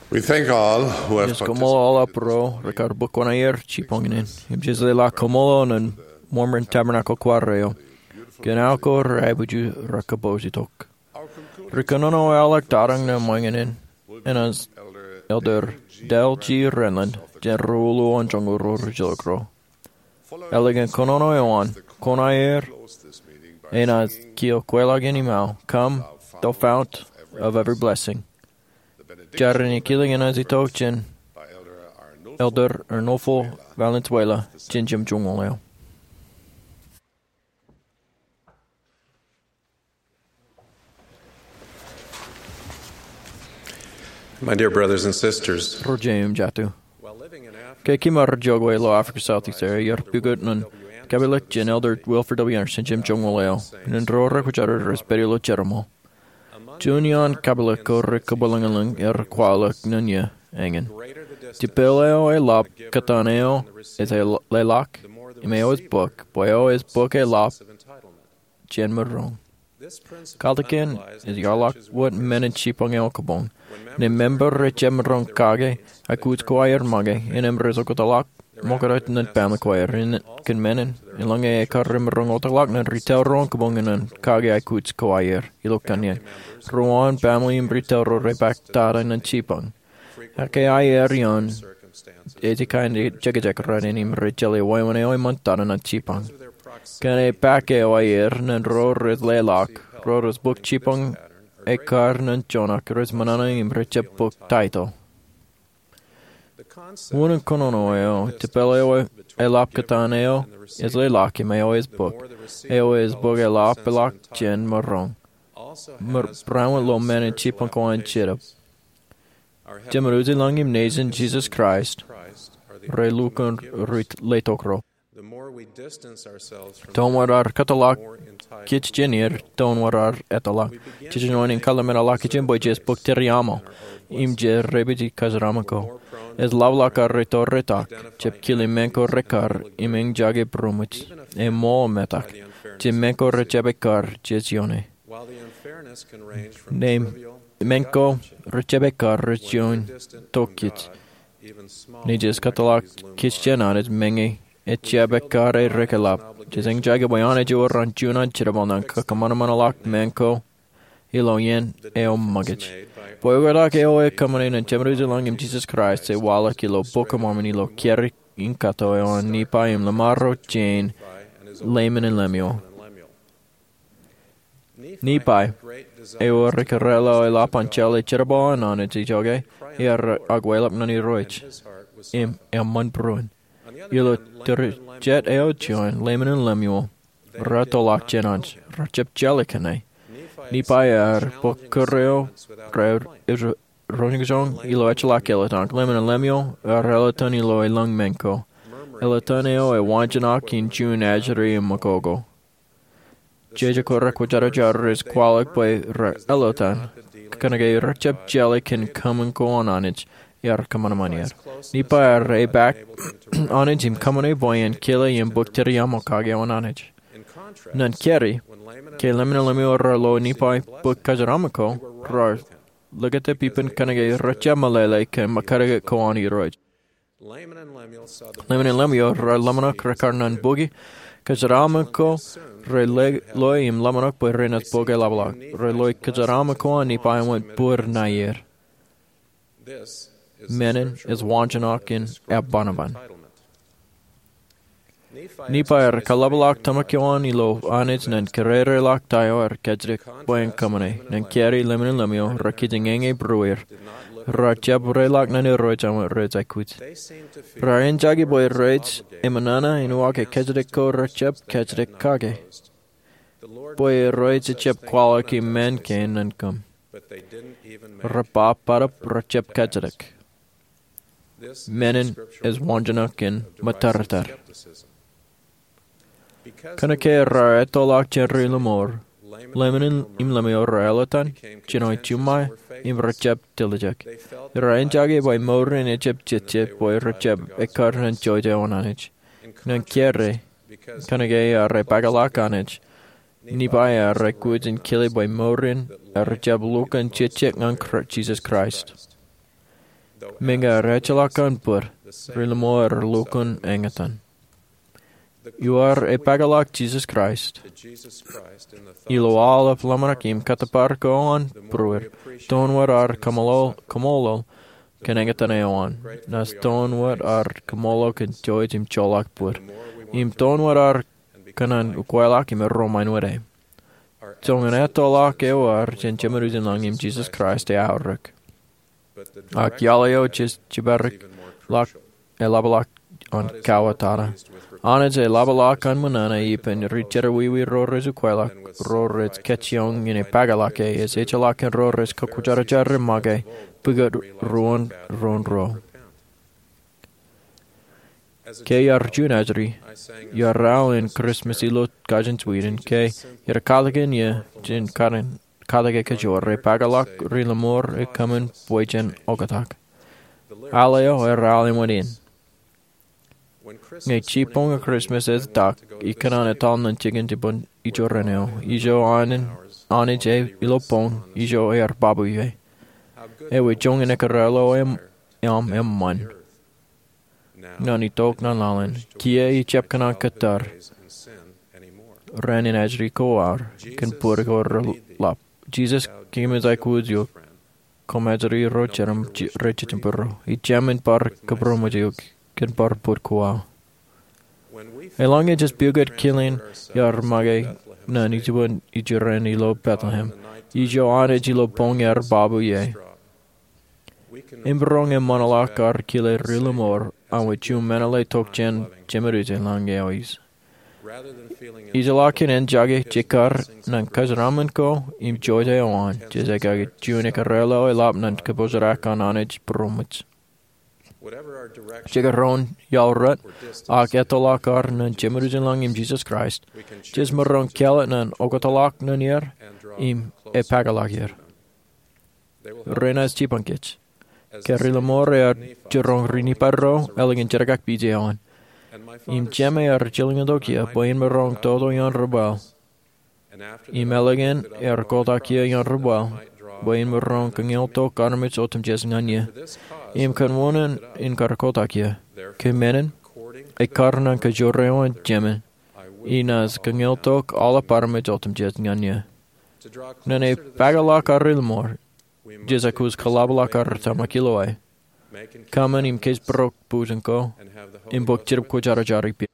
We thank all who have Ij koṃṃool aolep ro rekar bōk kuṇaer jipañ in. Im ij leḷọk koṃṃool ñan Mormon Tabernacle Choir eo kōn aō ko reaibūtjin rekabwebwenato. Ri kōnono eo ḷọk tōre ñan ṃōñā in enaaj Elder Dale G. Renlund jān ri-uḷōḷ an joñoul ro ri-jilkinḷọk ro. Ālikin kōnono eo an, kuṇaer enaaj kiiō kweilọk in im aō, "Come, the fount of every blessing." Jar in ikilōñ enaaj itok jān Elder Arnulfo Valenzuela jān jemjoñoul eo. My dear brothers and sisters, Ro jeiū im jatū, ke kōm ar jokwe ilo Africa South East eo, iar pukot ñan kapilōk jān Elder Wilford W. Andersen jān jemjoñoul eo, ñan ro rekwōjarjar rej pād ilo jerbal. Juon iaan kapilōk ko rej kōpeḷḷọk ñan er kwaḷọk ñan eō eñin. Jepel eo eḷap kōtaan eo ej leḷọk, im eo ej bōk, bwe eo ej bōk eḷap jān maroñ. Kalōk in ej eḷọk wōt men in jipañ eo kabuñ. Ñe member rej jab maroñ kake aikuj ko aer make, innem rej oktak ḷọk ṃokta ñan baaṃle ko aer. Im kōn men in, eḷaññe ekar rej maroñ oktak ḷọk ñan retail ro kabuñ ñan kake aikuj ko aer ilo kanniōk, ruo an baaṃle im retail ro rej bōk tata ñan jipañ. Ak ke aer ioon ej kain jekjek raṇ in im rej jeḷā wāween eo eṃṃan tata ñan jipañ. Kōn e bōk eo aer ñan ro rej leḷọk, ro rej bōk jipañ ekkar ñan juon ak rej ṃōṇōṇō im rej jab bōk title. Unin kōnono eo, jepel eo eḷap kōtaan eo ej leḷọk im eo ej bōk, eo ej bōk eḷap eḷọk jān maroñ. Bar ro men in jipañ ko an jetōb. Jemān Ujilañ im Nejin, Jisōs Kraist, rej lukkuun ri-letok ro. Toun wōt raar kōtḷọk kōj jān er, toun wōt raar etḷọk. Jej jino in kōḷmānḷọkjeṇ bwe jej bōk tōre aṃ, im jej repeat kōjeraaṃṃan ko. Ej ḷapḷọk ke rej tōre tok, jab kile men ko rekkar, im eñjake būroṃōj, eṃool metak. Jab men ko rej jab ekkar, jej ioone. Ñe men ko rej jab ekkar, rej juon tok kōj. Ñe jej kōtḷọk kōj jān Anij, meñe ejab ekkar e rūkaki ḷap, jej eñjake bwe Anij ewōr an juon an jerbal ñan kōṃanṃanḷọk men ko ilo iien eo ṃōkaj. Bwe oktak eo ekōṃṃane ñan Jemān Ujilañ im Jisōs Kraist ej waḷọk ilo Bok in Mormon ilo kōrā in kato eo an Nephi im Lamaro jān Leman in Lemuel. Nephi eo ekōrā ḷọk eḷap an jeḷā jerbal an Anij ijoko, ear akwāḷọk ñan Irooj im eṃṃan būruon. Ilo tōre jet eo juon, Leman in Lemuel retōḷọk jān Anij, rejab jeḷā kōn e. Nephi ear bōk kōrā eo rej roñjake ilo ejjeḷọk elōtan. Leman in Lemuel ear elōtan ilo elōñ men ko. Elōtan eo ej waanjoñak in juon ajri im ṃakoko. Jeje ko rekwōjarjar rej kwaḷọk bwe raar elōtan, kōnke rejab jeḷā kōn kōṃṃan ko an Anij ear kōṃanṃan er. Nephi ear epaak Anij im kōṃṃane bwe en kile im bōk tōre aṃ kake eo an Anij. Ñan kōrā, ke Leman in Lemuel raar lo Nephi bōk kōjeraaṃṃan ko, raar likūt ippān kōnke rejab meḷeḷe kōn ṃōkadkot ko an Irooj. Leman in Lemuel raar ḷōmṇak rekar ñan bōki kōjeraaṃṃan ko. Rej loe im ḷōmṇak bwe renaaj bōk eḷapḷọk. Rej loe kōjeraaṃṃan ko an Nephi wōnbōd ṇae er. Men in ej waanjoñak in eban eban. Nephi ear kaḷapḷọk tōmak eo an ilo Anij ñan kōrā eo ḷọk ta eo ear kajjitōk bwe en kōṃṃane. Ñan kōrā, Leman in Lemuel rekijjieñe būrueir. Rejab reḷọk ñan Irooj aṃ rej aikuj. Raar eñjake bwe rej eṃōṇōṇō in uwaak kajjitōk ko rejab kajjitōk kake. Bwe Irooj ejab kwaḷọk im men kein ñan kōm. Rej ba bōtab rejab kajjitōk. Men in ej waanjoñak in ṃōttārtar. Kōnke raar ettoḷọk jān ri-lọmọọr, Leman im Lemuel raar elōtan, jino juṃae, im rejab tiljek. Raar eñjake bwe mour in ejab jejjet bwe rejab ekkar ñan jouj eo an Anij. Ñan kōrā, kōnke ear epaakḷọk Anij, Nephi ear aikuj in kile bwe mour in ejab lukkuun jejjet ñan Kra-, Jisōs Kraist. Meñe ejjeḷọk kōn bōd, ri-limo ej lukkuun eñtaan. Iar epaakḷọk Jisōs Kraist ilo aolep ḷōmṇak im kōttōpar ko an būruod, toun wōt ad kaṃṃoolol kōn eñtaan eo an. Naaj toun wōt ad kaṃṃoolol kōn jouj im joḷọk bōd im toun wōt ad kōṇaan ukweḷọk im erom āinwōt e. Joñan ettoḷọk eo ad jān Jemān Ujilōñ im Jisōs Kraist eaorōk. Ak iaḷ eo jej jibadikḷọk eḷapḷọk an kauwōtata. Anij eḷapḷọk an ṃōṇōṇō ippān ri jerọwiwi ro rej ukweḷọk, ro rej kajjioñ in epaakḷọk e, ej ejjeḷọk kōn ro rej kakwōjarjar im make pukot ruo in ruo. Ke iar juon ajri, iar aō in Christmas ilo kajin Sweden, ke iar katakin ie jān katakin katakin kōjro, epaakḷọk ri-limo eo kōṃṃan bwe jen oktak. Aḷ eo ear aḷ eṃṃan in. Ñe jibboñ Christmas ej tak, ikōṇaan etal ñan jikin jibboñ ijo raṇ eo, ijo Anij ej ilo boñ, ijo ear babu ie. Ewi joñan ekkar eo aṃ eṃṃan? Ñan itok ñan laḷ in, kiiō ijjab kōṇaan kōttar rainin ajri ko aer kōn bōd ko reḷap. Jisōs, kōm ej aikuj eok. Koṃ ajri ro jeram rej jejjab būruo. Ij jāmin bar kōpūrmej eok kōn bar bōd ko aō. Eḷaññe jej pukot kilin iar make ñan jibboñ ijo raṇ ilo Bethlehem, ijo Anij ilo boñ ear babu ie, im maroñ eṃṃanḷọk ad kile ri-limo eo aṃ juon meḷeḷe tok jān Jemān Ujilōñ eo eis. Ijjeḷọk kōn enjake jekar ñan kōjeraaṃṃan ko im jouj eo an, jej aikuj juon ekkar eo eḷap ñan kōpooj ak an Anij būroṃōj. Jekdọọn iaḷ rot, ak ettoḷọk ad ñan Jemān Ujilōñ im Jisōs Kraist, jej maroñ kāālōt ñan oktakḷọk ñan er im epaakḷọk er. Renaaj jipañ kōj. Ke ri-limo eo ear jiroñ ri-Nifai ro, ālikin jenkakpeje eo an. Im Jemān ear jilkintok ie bwe in maroñ toto ioon ripwaḷ. Im ālikin ear kotak ie ioon ripwaḷ, bwe in maroñ kañeoḷtok armej otemjej ñan ie. Im kōn wōn in kar kotak ie, kōmān in, ekkar ñan kōjro eo an Jemān, inaaj kañeoḷtok aolep armej otemjej ñan ie. Ñan epaakḷọk ad ri-limo, jej aikuj kōḷapḷọk ad tōmak ilo e. Kōmān im kōjparok bujen ko, im bōk jidip kwōjarjar ippān.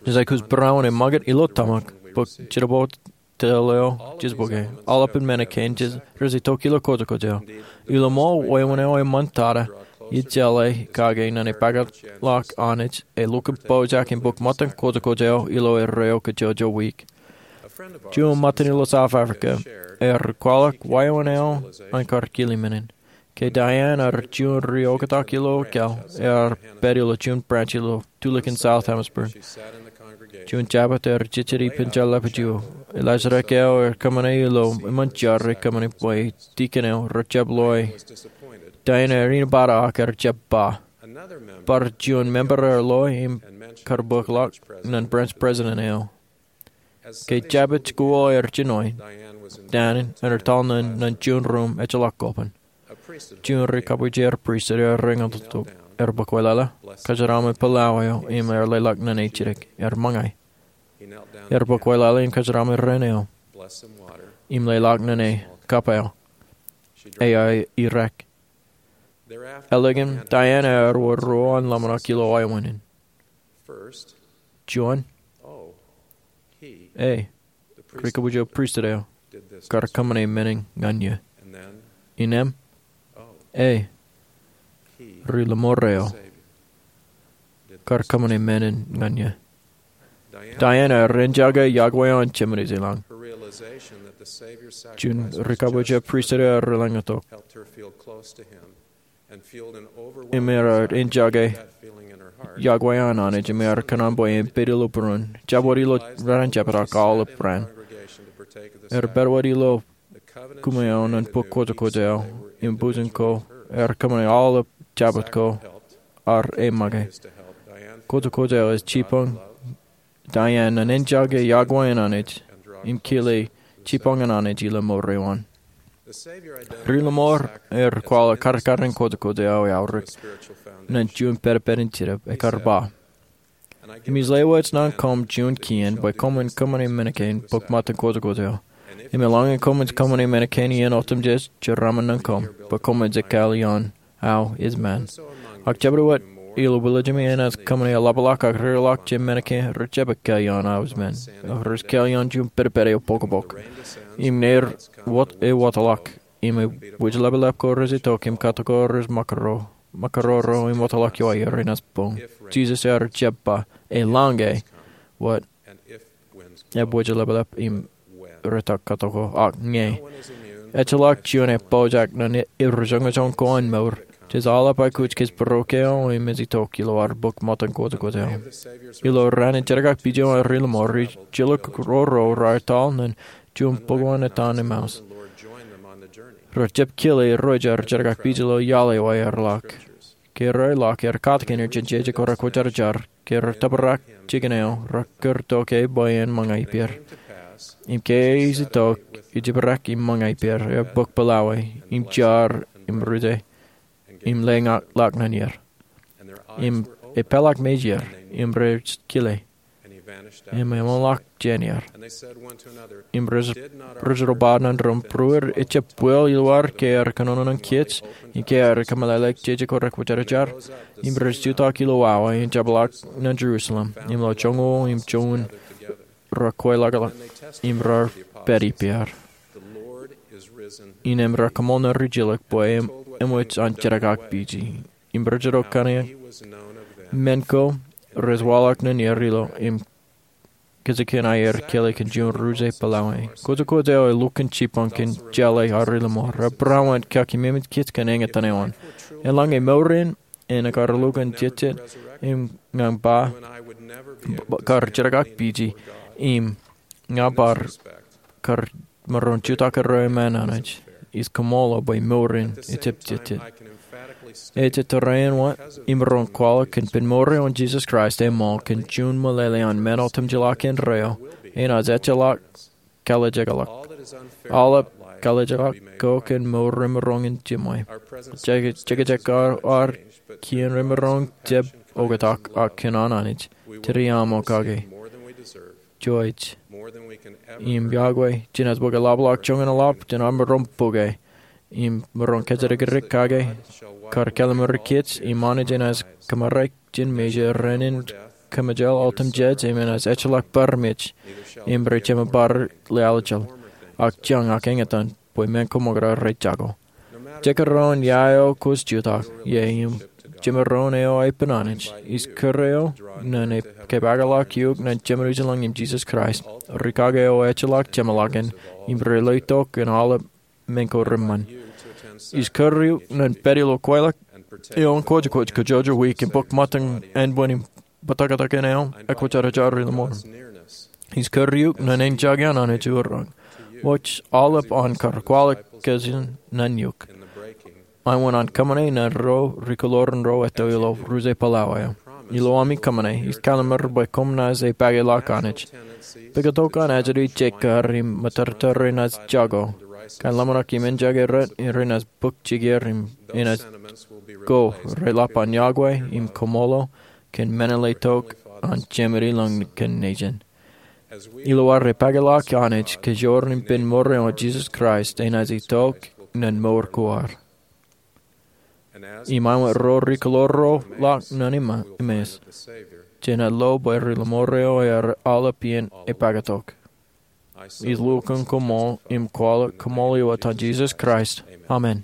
Jej aikuj būruon eṃṃakūt ilo tōmak, bōk jidip wōt tōl eo jej bōke. Aolepān men kein rej itok ilo kojekwōj eo. Ilo ṃool wāween eo eṃṃan tata, ij jeḷā kake ñan epaakḷọk Anij, elukkuun pojak im bōk ṃōttan kojekwōj eo ilo erreo kajjojo wiik. Juon ṃōttan ilo South Africa, ear kwaḷọk wāween eo an kar kile men in. Ke Diane ear juon ri-oktak ilo kōl, ear pād ilo juon branch ilo tulikin South Hemisphere. Juon Jabōt ear jejjet ippān jeḷāḷọkjeṇ eo. Elaaj rūkaki eo ear kōṃṃane ilo eṃṃan jar rej kōṃṃane bwe dikon eo rejjab loe Diane ear inepata ak ear jab ba. Bar juon member ear loe im kar bōkḷọk ñan branch president eo. Ke Jabōt ko ear jinoin, Diane ear etal ñan juon ruum ejjeḷọk koban. Juon ri-kabwijer pristut ear reñotok, ear bōk wōtlọla, kōjeraaṃṃan pālau eo im ear leḷọk ñan e jidik, ear ṃōñā. Ear bōk wōtlọla im kōjeraaṃṃan raṇ eo, im leḷọk ñan e kab eo. Ear irrek. Ālikin Diane ear wōr ruo an ḷōmṇak ilo wāween in. Juon, e, ri-kabwijer pristut eo kar kōṃṃane men in ñan eō. Innām, e, ri-limo eo kar kōṃṃane men in ñan eō. Diane ear enjake iọkwe an Jemān Ujilōñ. Juon ri-kabwijer pristut eo ear reḷḷañitok im ear enjake iọkwe an Anij im ear kōṇaan bwe en pād ilo būruon, jab wōt ilo raan in jabōt ak aolep raan. Ear pād wōt ilo kōṃṃan eo ñan bōk kojekwōj eo im bujen ko, ear kōṃṃane aolep jabōt ko, ak e make. Kojekwōj eo ej jibboñ Diane ñan enjake iọkwe an Anij im kile jibboñ an Anij ilo mour eo an. Ri-lọmọọr ear kwaḷọk karkaren kwotokwot eo eaorōk ñan juon pedped in jinōb. Ekar ba, "Im ij lewōj naan koṃ juon kien bwe koṃwin kōṃṃane men kein bōk ṃōttan kwotokwot eo. Im eḷaññe koṃij kōṃṃane men kein iien otemjej, jeraaṃṃan naan koṃ bwe koṃij ekkā ioon aō ej men. Ak jabdewōt ilo wilojemi enaaj kōṃṃane eḷapḷọk ak reḷọk jān men kein, rej jab ekkā ioon aō ej men, ak rej ekkā ioon juon pedped eo bokbok." Im ṇe er wōt ewōtlọk, im ebwijḷapḷap ko rej itok, im katok ko rej ṃōkaro, ṃōkaroro, im wōtlọk iowaer enaaj boñ. Jisōs ear jab ba, "Eḷaññe," wōt, ebwijḷapḷap im retak katok ko, ak ñe. Ejjeḷọk juon epojak ñan ri-joñojoñ ko an mour. Jej aolep aikuj kōj būruō eo im ej itok ilo ad bōk ṃōttan kwotokwot eo. Ilo raan in jerakakpije eo an ri-lọmọọr, ri-jilkinroro raar etal ñan juon bōk eo an etan Emmaus. Rej jab kile irooj ear jerakakpije ilo iaḷ eo aer ḷọk. Ke raar ḷọk, ear katakin er jān jeje ko rekwōjarjar. Ke raar tōprak jikin eo, raar kūr tok e bwe en ṃōñā ippāer. Im ke ej itok, ej jibrak im ṃōñā ippāer, ear bōk pālae, im jar, im ruje, im leḷọk ñan er. Im epeḷḷọk mejāer, im rej kile. Im eṃōḷọk jān er. Im rej, rej ro ba ñan ro, "Būruod, ejjab bwil ilo ad ke ear kōnono ñan kōj, im ke ear kōmeḷeḷeik jeje ko rekwōjarjar?" Im rej jutak ilo awa, im jepḷaak ñan Jerusalem, im ilo joñoul im joñoul raar kweilọk, im raar pād ippāer. Innām raar koṃṃool ñan rijjilōk bwe eṃōj an jerakakpije. Im rej itok kōn men ko rej waḷọk ñan er ilo, im kajjitōk in aer kile kōn juon ruje pālae. Kwotokwot eo elukkuun jibboñ kōn jeḷā an ri-lọmọọr. Ebarawan kōn kōj kōn eñtaan eo an. Eḷaññe mour in, en kar lukkuun jejjet, im ña ba, kar jerakakpije, im ña bar kar maroñ jutak erreo iṃaan Anij. Ij kōṃṃool bwe mour in ejjab jejjet. Ej ettōr eo wōt imaroñ kwaḷọk kōn ippān mour eo an Jisōs Kraist eṃṃool kōn juon meḷeḷe an men otemjeḷọk indeeo enaaj ejjeḷọk kalijekḷọk. Aolep kalijekḷọk ko kōn mour remaroñ in jiṃwe. Jekjek ko ad kien remaroñ jab oktak ak kōn an Anij. Tōre aṃ kake. Jouj. Im yokwe, jenaaj bōk eḷapḷọk joñan eḷap jān ad maroñ bōke. Im maroñ kōjatdikdik kake, kar kallimur kōj, im Anij enaaj kōmārae kōj jān mejād, ren in kōmejāl otemjej, im enaaj ejjeḷọk bar mej, im rej jemān bar lale aljel, ak jañ ak eñtaan, bwe men ko ṃōkaj rej jako. Jekdọọn ia eo kwōj jutak ie im jemaroñ eo epen Anij, ij kūr eok ñan kōpeḷḷọk eok ñan Jemān Ijeḷā im Jisōs Kraist, rikaki eo ejjeḷọk jeṃḷọkin, im rej letok ñan aolep men ko reṃṃan. Ij kūr eok ñan pād ilo kweilọk eo an kōjkōj kajjojo wiik im bōk ṃōttan ānbwin im bōtōktōkin eo ekwōjarjar ri-lọmọọr. Ij kūr eok ñan eñjake an Anij urōk. Wōj aolep an kar kwaḷọk kōjin ñan eok. Āinwōt an kōṃṃane ñan ro ri-kōḷoor in ro etto ilo ruje pālae eo. Ilo ami kōṃṃane, ij kallimur bwe koṃ naaj epakeḷọk Anij. Pāketok an ajri jekar im ṃōttōrtōr enaaj jako. Kōn ḷōmṇak im eñjake rej, renaaj bōk jikier im enaaj ko reḷap an yokwe im kōṃṃool kōn men eḷap tok an Jemān Ijeḷā kōn nejin. Ilo ad epakeḷọk Anij kōjro im ippān mour eo an Jisōs Kraist enaaj itok ñan mour ko ad. Im āinwōt ro ri-kōḷoor ro ḷọk ñan Emmaus, jenaaj lo bwe ri-lọmọọr eo ear aolep iien epāketok. Ij lukkuun kōṃṃool im kwaḷọk kōṃṃool eo etan Jisōs Kraist. Amen.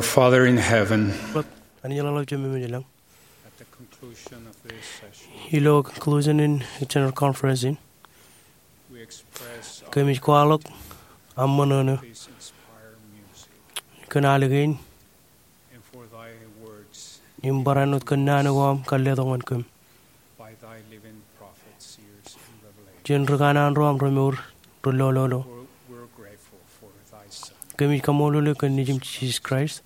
Father in heaven, Anij eḷap, Ijo ṃōjḷọk. At the conclusion of this session, ilo conclusion in general conference in, we express kōmij kwaḷọk aṃ ṃōṇōṇō this inspired music kōn ālikin and for thy words im barāinwōt kōn naan ko aṃ kar letok ñan kōm by thy living prophets, seers, and revelation. Jān ri kanaan ro aṃ remour, ri lololo. We're, we're grateful for thy Son. Kōmij kaṃṃoolol eok kōn Nejiṃ Jisōs Kraist.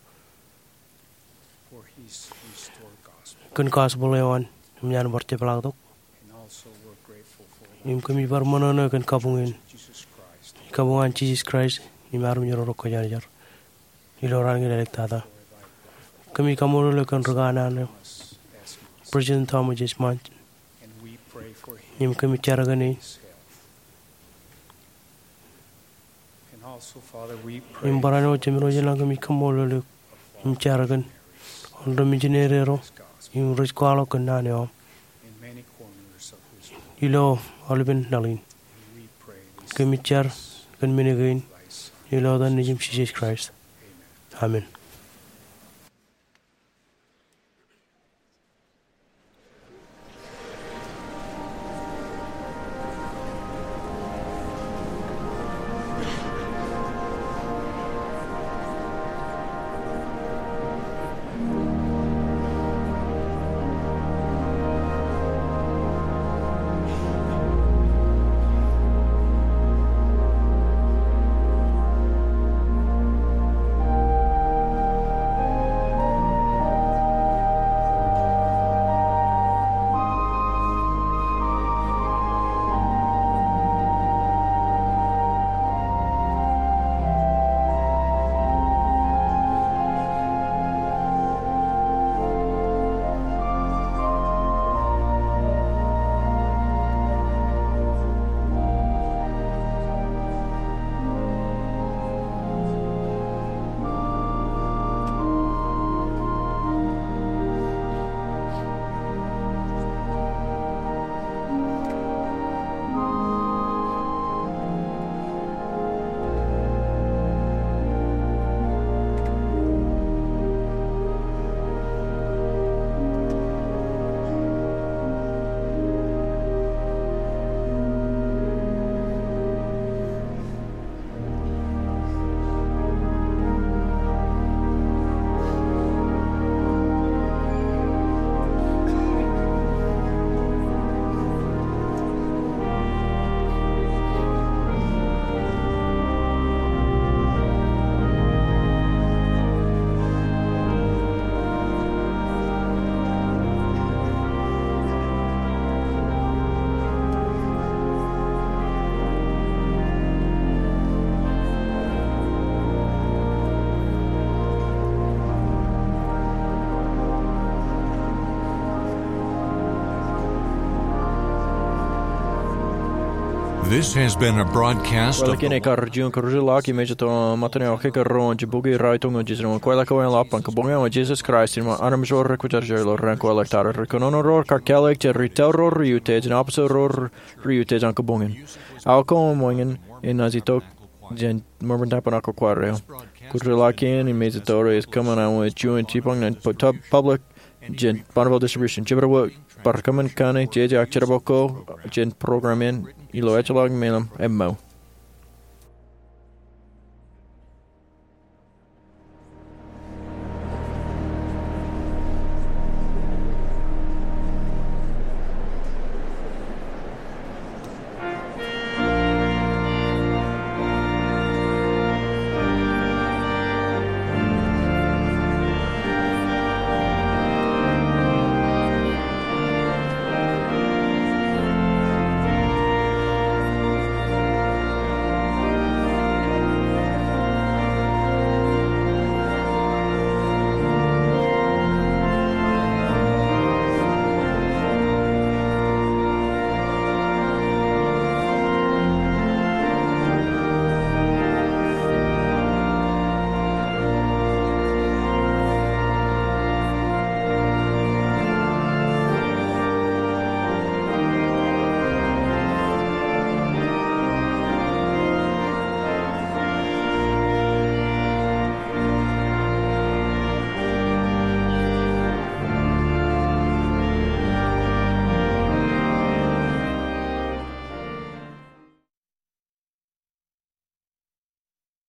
For his restored gospel. Kōn gospel eo an im ñan bar jepḷaaktok. And also we're grateful for thy Im kōmij bar ṃōṇōṇō kōn kabuñ in. Jesus Christ. Kabuñ an Jisōs Kraist im armej ro rej kwōjarjar ilo raan kein āliktata. Kōmij kaṃṃoolol eok kōn ri kanaan eo, President Thomas S. Monson. And we pray for him. Im kōmij jar kōn e. And also, Father, we pray. Im barāinwōt Jemem ro ilañ, kōmij kaṃṃoolol eok im jar kōn wōn ri mijineri ro im rej kwaḷọk kōn naan eo aṃ in many corners of this world. Ilo aolepen laḷ in. We pray this. Kōmij jar kōn men kein ilo etan Nejiṃ Jisōs Kraist. Amen. This has been a broadcast of Kwōlọk in ekkar juon kōjatdikdik in Mājro Ṃōttan eo aō kōkōrā ro an jibukwi raorōk ñan Jisōs. Ñe kwōjeḷā ke eḷap, ban kabuñ eo an Jisōs Kraist im an armej ro rej kwōjarjar ilo raan ko āliktata. Ri kōnono ro kar kāālōt jān ri tauroro rej utiej im aposel ro rej utiej an kabuñ in. Aō kōṃṃan wōñin enaaj itok jān ṃōṃōn tōprak ko kwaar eo. Kōjeḷā ke en Mājro Ṃōttan eo ej kōṃṃan aō juon jibboñ ñan pu-, tub-, public jān Bonneville Distribution. Jibadwōt bar kōṃṃan kaṇe jeje ak jerbal ko jān program in ilo ejjeḷọk meḷeḷe. Emool.